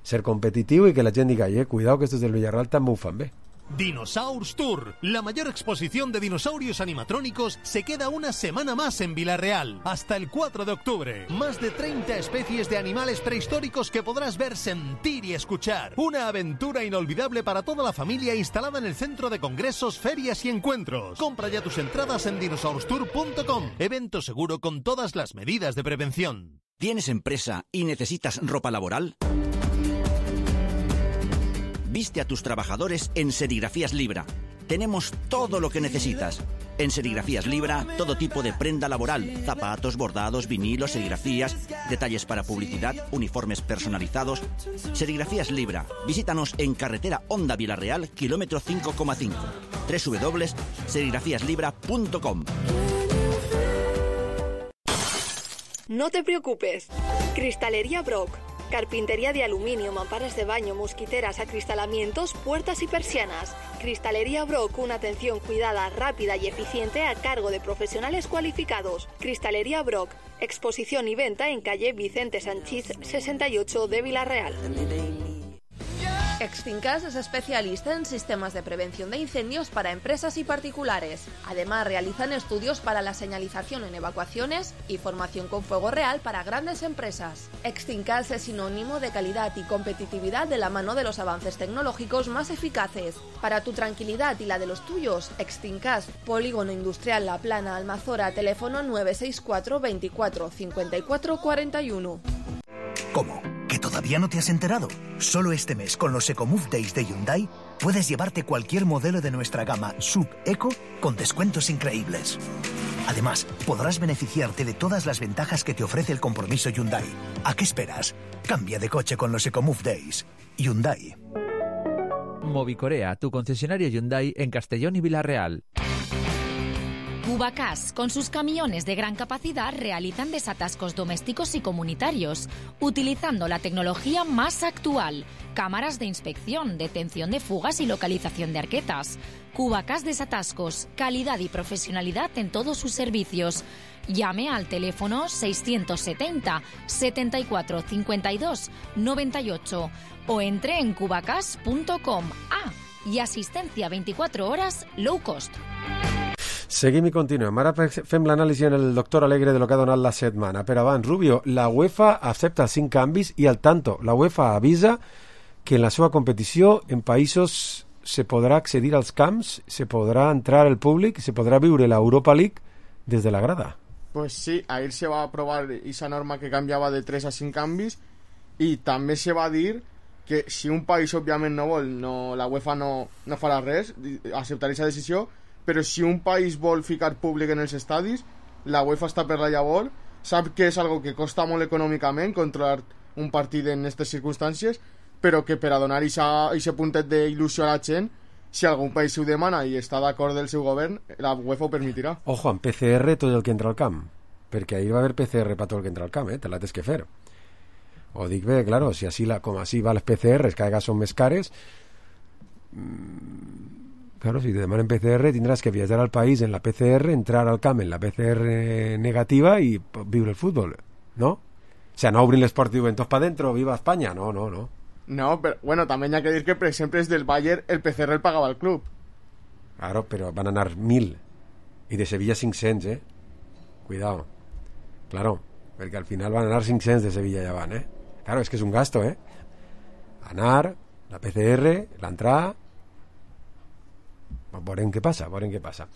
ser competitiu i que la gent diga, eh, cuidado que estos del Villarreal també ho fan bé. Dinosaurs Tour, la mayor exposición de dinosaurios animatrónicos, se queda una semana más en Villarreal, hasta el cuatro de octubre. Más de treinta especies de animales prehistóricos que podrás ver, sentir y escuchar. Una aventura inolvidable para toda la familia instalada en el centro de congresos, ferias y encuentros. Compra ya tus entradas en dinosaurs tour punto com. Evento seguro con todas las medidas de prevención. ¿Tienes empresa y necesitas ropa laboral? Viste a tus trabajadores en Serigrafías Libra. Tenemos todo lo que necesitas. En Serigrafías Libra, todo tipo de prenda laboral, zapatos, bordados, vinilos, serigrafías, detalles para publicidad, uniformes personalizados. Serigrafías Libra. Visítanos en carretera Honda Villarreal, kilómetro cinco coma cinco. doble u doble u doble u punto serigrafías libra punto com. No te preocupes. Cristalería Brock. Carpintería de aluminio, mamparas de baño, mosquiteras, acristalamientos, puertas y persianas. Cristalería Brock, una atención cuidada, rápida y eficiente a cargo de profesionales cualificados. Cristalería Brock, exposición y venta en calle Vicente Sanchís sesenta y ocho de Villarreal. Extincas es especialista en sistemas de prevención de incendios para empresas y particulares. Además, realizan estudios para la señalización en evacuaciones y formación con fuego real para grandes empresas. Extincas es sinónimo de calidad y competitividad de la mano de los avances tecnológicos más eficaces. Para tu tranquilidad y la de los tuyos, Extincas, Polígono Industrial La Plana, Almazora, teléfono nueve seis cuatro veinticuatro cincuenta y cuatro cuarenta y uno. ¿Cómo? ¿Que todavía no te has enterado? Solo este mes, con los EcoMove Days de Hyundai, puedes llevarte cualquier modelo de nuestra gama Sub Eco con descuentos increíbles. Además, podrás beneficiarte de todas las ventajas que te ofrece el compromiso Hyundai. ¿A qué esperas? Cambia de coche con los EcoMove Days. Hyundai. Movicorea, tu concesionario Hyundai en Castellón y Villarreal. Cubacas, con sus camiones de gran capacidad, realizan desatascos domésticos y comunitarios, utilizando la tecnología más actual, cámaras de inspección, detención de fugas y localización de arquetas. Cubacas Desatascos, calidad y profesionalidad en todos sus servicios. Llame al teléfono seiscientos setenta, setenta y cuatro, cincuenta y dos, noventa y ocho o entre en cubacas punto com. Ah, y asistencia veinticuatro horas low cost. Seguim i continuem. Ara fem l'anàlisi en el doctor Alegre de lo que ha donat la setmana. Però abans, Rubio, la UEFA accepta cinc canvis i al tanto, la UEFA avisa que en la seva competició en països se podrà accedir als camps, se podrà entrar el públic, se podrà viure la Europa League des de la grada. Pues sí, ahir se va aprovar esa norma que canviava de tres a cinc canvis i també se va dir que si un país òbviament no vol, no, la UEFA no, no farà res, acceptarà aquesta decisió, però si un país vol ficar públic en els estadis, la UEFA està per la llavor sap que és algo que costa molt econòmicament controlar un partit en aquestes circumstàncies, però que per a donar aquest puntet d'il·lusió a la gent, si algun país ho demana i està d'acord del seu govern, la UEFA ho permetirà. Ojo, amb P C R tot el que entra al camp, perquè ahir va haver P C R per tot el que entra al camp, eh? Te la tens que fer. Ho dic bé, claro, si així la, com així va les P C Rs, cada vegada són més cares, mmm, claro, si te demanen P C R tindràs que viatjar al país en la P C R, entrar al camp en la P C R negativa i viure el futbol, ¿no? O sea, no obrin les portes i diuen tots pa dentro, viva Espanya, no, no, no. No, pero bueno, también hay que decir que, por ejemplo, desde el Bayern el P C R el pagaba el club. Claro, pero van a anar mil y de Sevilla cinc-cents, eh? Cuidado. Claro, perquè al final van a anar cinc-cents de Sevilla, ja van, eh? Claro, es que és un gasto, eh? Anar, la P C R, l'entrada... Veurem què passa, veurem què passa.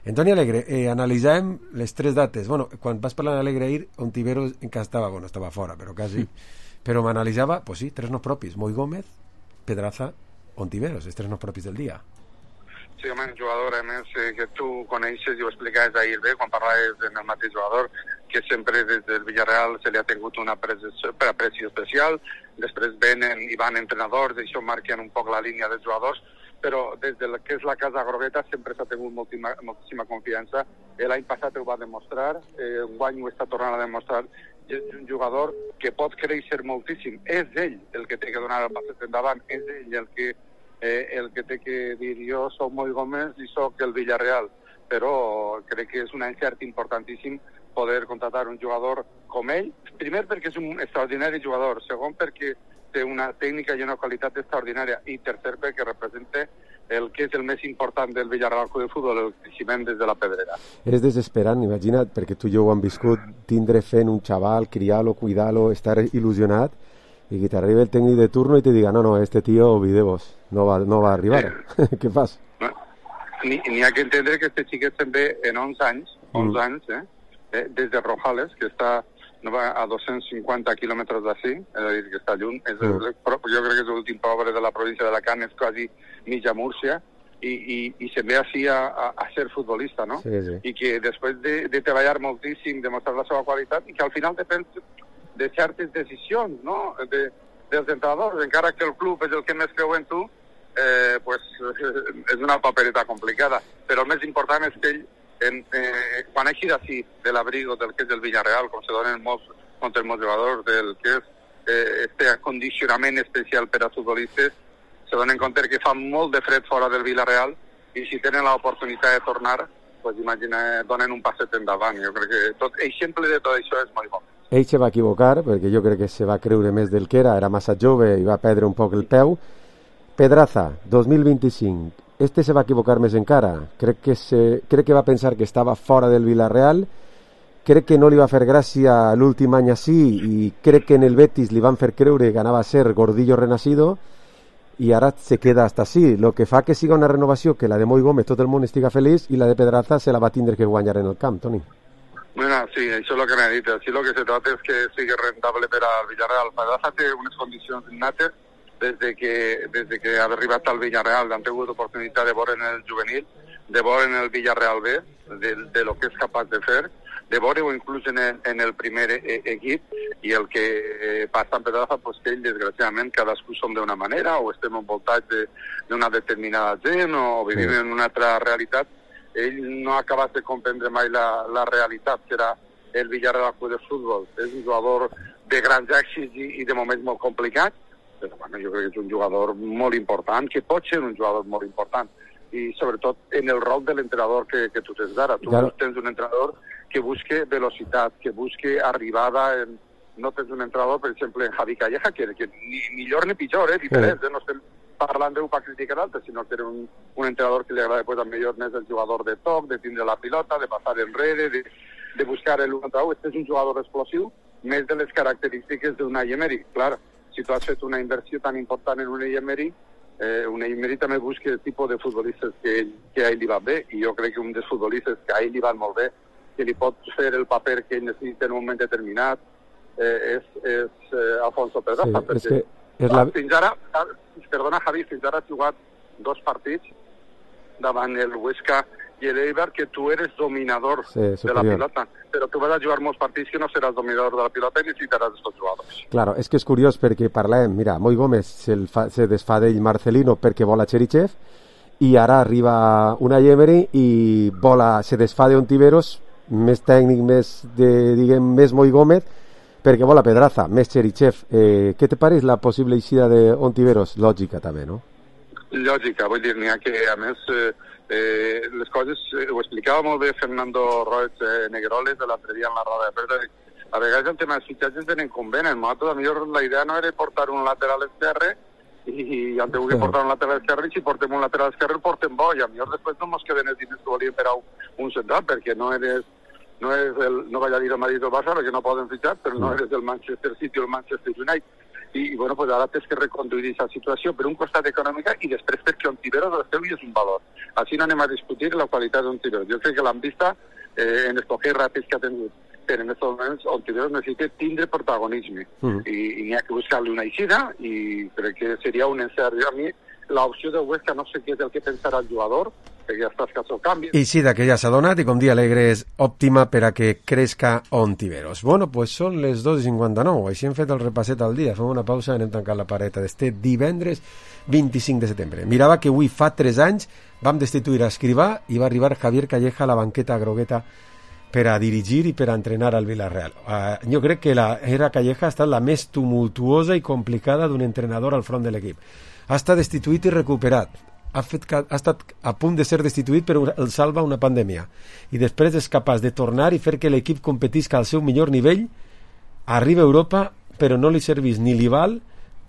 Antoni Alegre, eh, analitzàvem les tres dates. Bueno, quan vas parlar d'Alegre ahir, Ontiveros encara estava, bueno, estava fora, però quasi... Però m'analitzava, pues sí, tres noms propis, Moi Gómez, Pedraza, Ontiveros, els tres noms propis del dia. Sí, home, un jugador, a més, eh, que tu coneixes i ho explicaves ahir bé, quan parlaves en el mateix jugador, que sempre des del Villarreal se li ha tingut una aprecio especial, després venen i van entrenadors, i això marquen un poc la línia dels jugadors, però des del que és la Casa Grogueta sempre s'ha tingut moltíssima, moltíssima confiança. L'any passat ho va demostrar, eh, un guany ho està tornant a demostrar, és un jugador que pot créixer moltíssim. És ell el que té que donar el passet endavant, és ell el que, eh, el que té que dir jo soc Moi Gómez i soc el Villarreal, però crec que és un encert importantíssim poder contratar un jugador com ell, primer perquè és un extraordinari jugador, segon perquè té una tècnica i una qualitat extraordinària, i tercer perquè representa el que és el més important del Villarreal Club de Futbol, el creixement des de la pedrera. És desesperant, imagina't, perquè tu i jo ho hem viscut, tindre fent un xaval, criar-lo, cuidar-lo, estar il·lusionat, i que t'arribi el tècnic de turno i te diga, no, no, este tío, olvidemos, no va, no va a arribar. Eh. Què fas? No. Ni, ni ha que entendre que este xiquet també en onze anys, onze mm. anys, eh, eh, des de Rojales, que està no va a dos-cents cinquanta quilòmetres d'ací, és a dir, que està lluny. És el, jo crec que és l'últim poble de la província d'Alacant, és quasi mitja Múrcia, i, i, i se'n ve així a, a, a ser futbolista, no? Sí, sí. I que després de, de treballar moltíssim, demostrar la seva qualitat, i que al final depèn de certes decisions, no?, de, dels entrenadors, encara que el club és el que més creu en tu, eh, pues, és una papereta complicada. Però el més important és que ell En, eh, quan hagi d'ací de l'abrigo del que és el Villarreal, com se donen molts, molts jugadors, del que és eh, este acondicionament especial per a futbolistes, se donen compte que fa molt de fred fora del Villarreal, i si tenen l'oportunitat de tornar, pues imagina, donen un passet endavant. Jo crec que tot, exemple de tot això és molt bo. Ell se va equivocar, perquè jo crec que se va creure més del que era, era massa jove i va perdre un poc el peu. Pedraza, dos mil vint-i-cinc. Este se va equivocar més encara. Crec que, se, crec que va pensar que estava fora del Villarreal, crec que no li va fer gràcia l'últim any així, i crec que en el Betis li van fer creure que anava a ser gordillo renacido, i ara se queda hasta així, lo que fa que siga una renovació que la de Moi Gómez tot el món estiga feliç, i la de Pedraza se la va tindre que guanyar en el camp, Toni. Bueno, sí, això és el que m'ha dit. Així el que se trata és que sigui rentable per al Villarreal. Pedraza té unes condicions innates, des de que, des de que ha arribat al Villarreal, han tingut oportunitat de veure en el juvenil, de veure en el Villarreal B, de, de lo que és capaç de fer, de veure-ho inclús en el, en el primer e equip, i el que eh, passa en Pedraza, pues, que ell, desgraciadament, cadascú som d'una manera, o estem envoltats d'una de, determinada gent, o vivim sí. en una altra realitat. Ell no ha acabat de comprendre mai la, la realitat, que era el Villarreal Club de Futbol. És un jugador de grans èxits i, i de moments molt complicats, però bueno, jo crec que és un jugador molt important, que pot ser un jugador molt important, i sobretot en el rol de l'entrenador que, que tu tens ara. Tu claro. Tens un entrenador que busque velocitat, que busque arribada, en... no tens un entrenador, per exemple, en Javi Calleja, que, que ni millor ni pitjor, eh, diferent, eh? No estem parlant d'ell per criticar l'altre, sinó que era un, un entrenador que li agrada pues, millor més el jugador de toc, de tindre la pilota, de passar enrere, de, de buscar el un contra un. Este és un jugador explosiu, més de les característiques d'Unai Emery, clar. Si tu has fet una inversió tan important en Unai Emery, eh, Unai Emery també busca el tipus de futbolistes que, ell, que a ell li va bé, i jo crec que un dels futbolistes que a ell li van molt bé, que li pot fer el paper que ell necessita en un moment determinat, eh, és, és eh, Alfonso Pedraza. Sí, perquè, és que és la... fins ara, perdona Javi, fins ara ha jugat dos partits davant el Huesca i l'Eibar que tu eres dominador sí, de la pilota, però tu vas a jugar molts partits que no seràs dominador de la pilota i necessitaràs estos jugadors. Claro, és que és curiós perquè parlem, mira, Moi Gómez se, fa, se desfà d'ell Marcelino perquè vol a Cherichev i ara arriba una Emery i vola, se desfà d'Ontiveros, més tècnic, més, de, diguem, més Moi Gómez, perquè vol a Pedraza, més Cherichev. Eh, què te pareix la possible eixida d'Ontiveros? Lògica també, no? Lògica, vull dir, n'hi ha que, a més, eh, eh, les coses, eh, ho explicava molt bé Fernando Roig eh, Negroles de l'altre dia en la roda de premsa. A vegades el tema dels fitxatges tenen convenen. Nosaltres, a millor la idea no era portar un lateral esquerre i han tingut que portar un lateral esquerre i si portem un lateral esquerre el portem bo i a millor després no ens queden els diners que volíem per a un central perquè no eres no és el, no vaig a dir el Madrid o el Barça perquè no poden fitxar, però no eres el Manchester City o el Manchester United. I, bueno, pues ara tens que reconduir aquesta situació per un costat econòmica i després perquè Ontiveros el seu és un valor. Així no anem a discutir la qualitat d'Ontiveros. Jo crec que l'han vista eh, en els poquets ràpids que ha tingut. Però en aquests moments Ontiveros necessita tindre protagonisme. Mm. I, i n'hi ha que buscar-li una eixida i crec que seria un encert. A mi l'opció del Huesca no sé què és el que pensarà el jugador, perquè ja estàs que el canvi. Eixida que ja s'ha donat i com dia alegre és òptima per a que crezca Ontiveros. Bueno, pues són les dos i cinquanta-nou. Així hem fet el repasset al dia. Fem una pausa i anem tancant la pareta d'este divendres vint-i-cinc de setembre. Mirava que avui fa tres anys vam destituir a Escrivà i va arribar Javier Calleja a la banqueta grogueta per a dirigir i per a entrenar al Villarreal. Uh, jo crec que la era Calleja ha estat la més tumultuosa i complicada d'un entrenador al front de l'equip. Ha estat destituït i recuperat. Ha, fet, ha estat a punt de ser destituït però el salva una pandèmia. I després és capaç de tornar i fer que l'equip competisca al seu millor nivell, arriba a Europa, però no li servís ni li val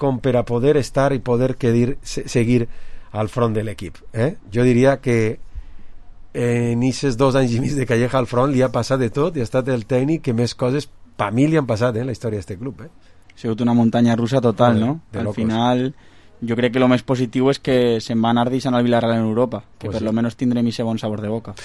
com per a poder estar i poder quedir, seguir al front de l'equip. Eh? Jo diria que en aquests dos anys i mig de Calleja al front li ha passat de tot i ha estat el tècnic que més coses per mi li han passat eh, en la història d'aquest club. Eh? Ha sigut una muntanya russa total, Joder, no? Al locos. final, jo crec que el més positiu és que se'n va anar deixant al Villarreal en Europa, que Pues per sí. lo menos tindrem ese bon sabor de boca.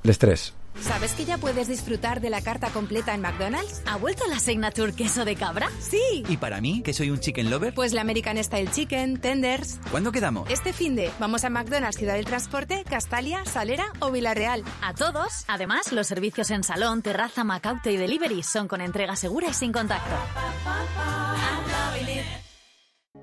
Les tres. ¿Sabes que ya puedes disfrutar de la carta completa en McDonald's? ¿Ha vuelto la Signature queso de cabra? Sí. ¿Y para mí, que soy un chicken lover? Pues la American Style Chicken, Tenders. ¿Cuándo quedamos? Este finde, vamos a McDonald's Ciudad del Transporte, Castalia, Salera o Villarreal. A todos. Además, los servicios en salón, terraza, Macauto y delivery son con entrega segura y sin contacto.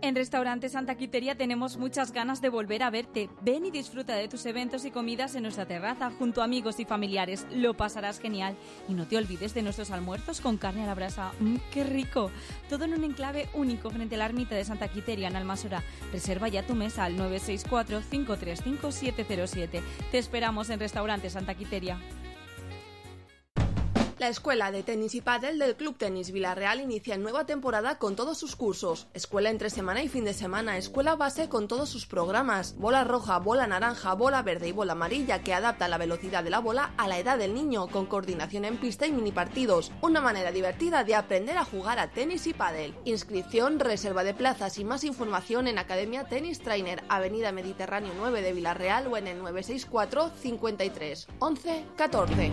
En Restaurante Santa Quiteria tenemos muchas ganas de volver a verte. Ven y disfruta de tus eventos y comidas en nuestra terraza junto a amigos y familiares. Lo pasarás genial. Y no te olvides de nuestros almuerzos con carne a la brasa. ¡Mmm, qué rico! Todo en un enclave único frente a la ermita de Santa Quiteria en Almasora. Reserva ya tu mesa al nueve seis cuatro, cinco tres cinco, siete cero siete. Te esperamos en Restaurante Santa Quiteria. La escuela de tenis y pádel del Club Tenis Villarreal inicia nueva temporada con todos sus cursos. Escuela entre semana y fin de semana, escuela base con todos sus programas. Bola roja, bola naranja, bola verde y bola amarilla que adapta la velocidad de la bola a la edad del niño con coordinación en pista y mini partidos. Una manera divertida de aprender a jugar a tenis y pádel. Inscripción, reserva de plazas y más información en Academia Tennis Trainer, Avenida Mediterráneo nueve de Villarreal o en el nueve seis cuatro, cincuenta y tres, once, catorce.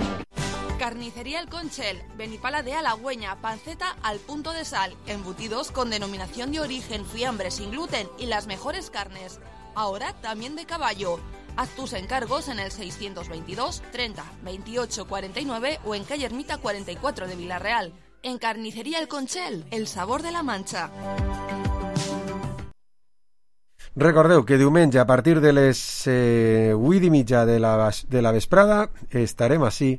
Carnicería El Conchel, Benipala de Halagüeña, panceta al punto de sal, embutidos con denominación de origen, fiambre sin gluten y las mejores carnes. Ahora también de caballo. Haz tus encargos en el seiscientos veintidós, treinta, veintiocho, cuarenta y nueve o en calle Ermita cuarenta y cuatro de Villarreal. En Carnicería El Conchel, el sabor de la Mancha. Recordeu que diumenge a partir de les eh, vuit i mitja de la, de la vesprada estarem així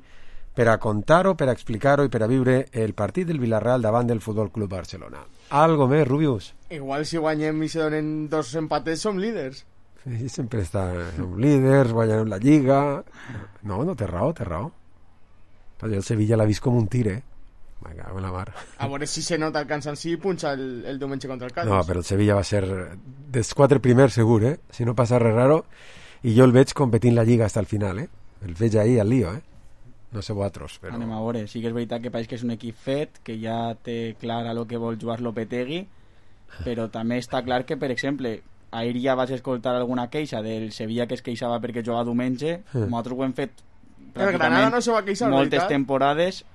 per a contar-ho, per a explicar-ho i per a viure el partit del Villarreal davant del Futbol Club Barcelona. Algo més, Rubius? Igual si guanyem i se donen dos empatets som líders. Sí, sempre està, som líders, guanyarem la Lliga... No, no, té raó, té raó. Però el Sevilla l'ha vist com un tir, eh? Me cago en la mar. A veure si se nota el cansanci i punxa el, el diumenge contra el Cádiz. No, però el Sevilla va ser dels quatre primers segur, eh? Si no passa res raro. I jo el veig competint la Lliga fins al final, eh? El veig ahí al lío, eh? No sé vosaltres, però... Anem a veure, sí que és veritat que pareix que és un equip fet, que ja té clar a lo que vol jugar Lopetegui, però també està clar que, per exemple, ahir ja vas escoltar alguna queixa del Sevilla que es queixava perquè jugava diumenge, Sí. nosaltres ho hem fet El Granada no se va queixar, moltes veritat? temporades,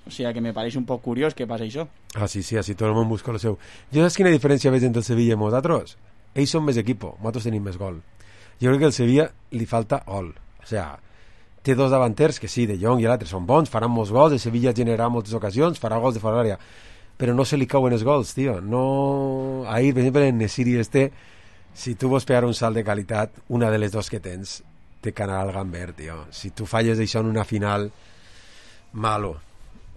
o sigui que me pareix un poc curiós que passa això. Ah, sí, sí, així tot el món busca el seu. Jo saps quina diferència veig entre el Sevilla i nosaltres? Ells són més equipo, nosaltres tenim més gol. Jo crec que al Sevilla li falta gol. sea, té dos davanters que sí, De Jong i l'altre són bons, faran molts gols, el Sevilla generarà moltes ocasions, farà gols de fora d'àrea, però no se li cauen els gols, tio. No... Ahir, per exemple, en Nesiri este, si tu vols pegar un salt de qualitat, una de les dos que tens té que anar al gamber, tio. Si tu falles això en una final, malo.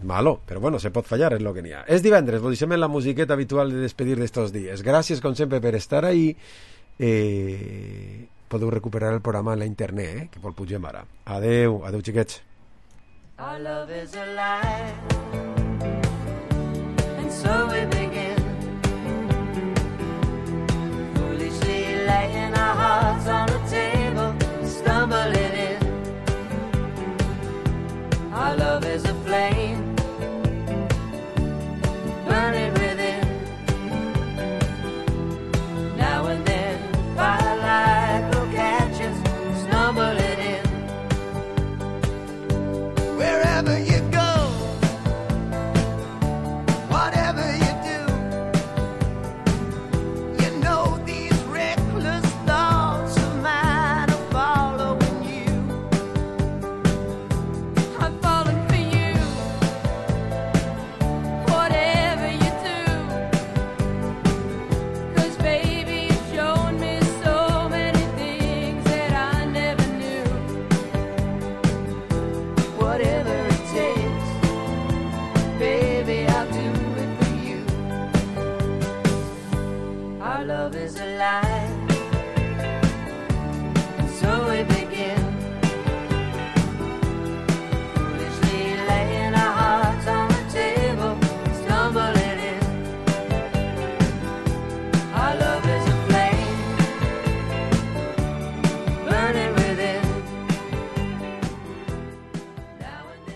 Malo, però bueno, se pot fallar, és lo que n'hi ha. És divendres, vos deixem en la musiqueta habitual de despedir d'estos dies. Gràcies, com sempre, per estar ahí. Eh... Podeu recuperar el programa en la internet, eh? Que vol pugem ara. Adeu, adeu, xiquets. Our love is alive, and so we begin, foolishly laying our hearts on the table, stumbling in. Our love is a flame, burning within. Now and then, firelight will catch us, stumbling in. Wherever you go, whatever you do, you know these reckless thoughts of mine are following you. I'm falling for you, whatever you do, 'cause baby you've shown me so many things that I never knew. Whatever it takes, baby, I'll do it for you. Our love is alive,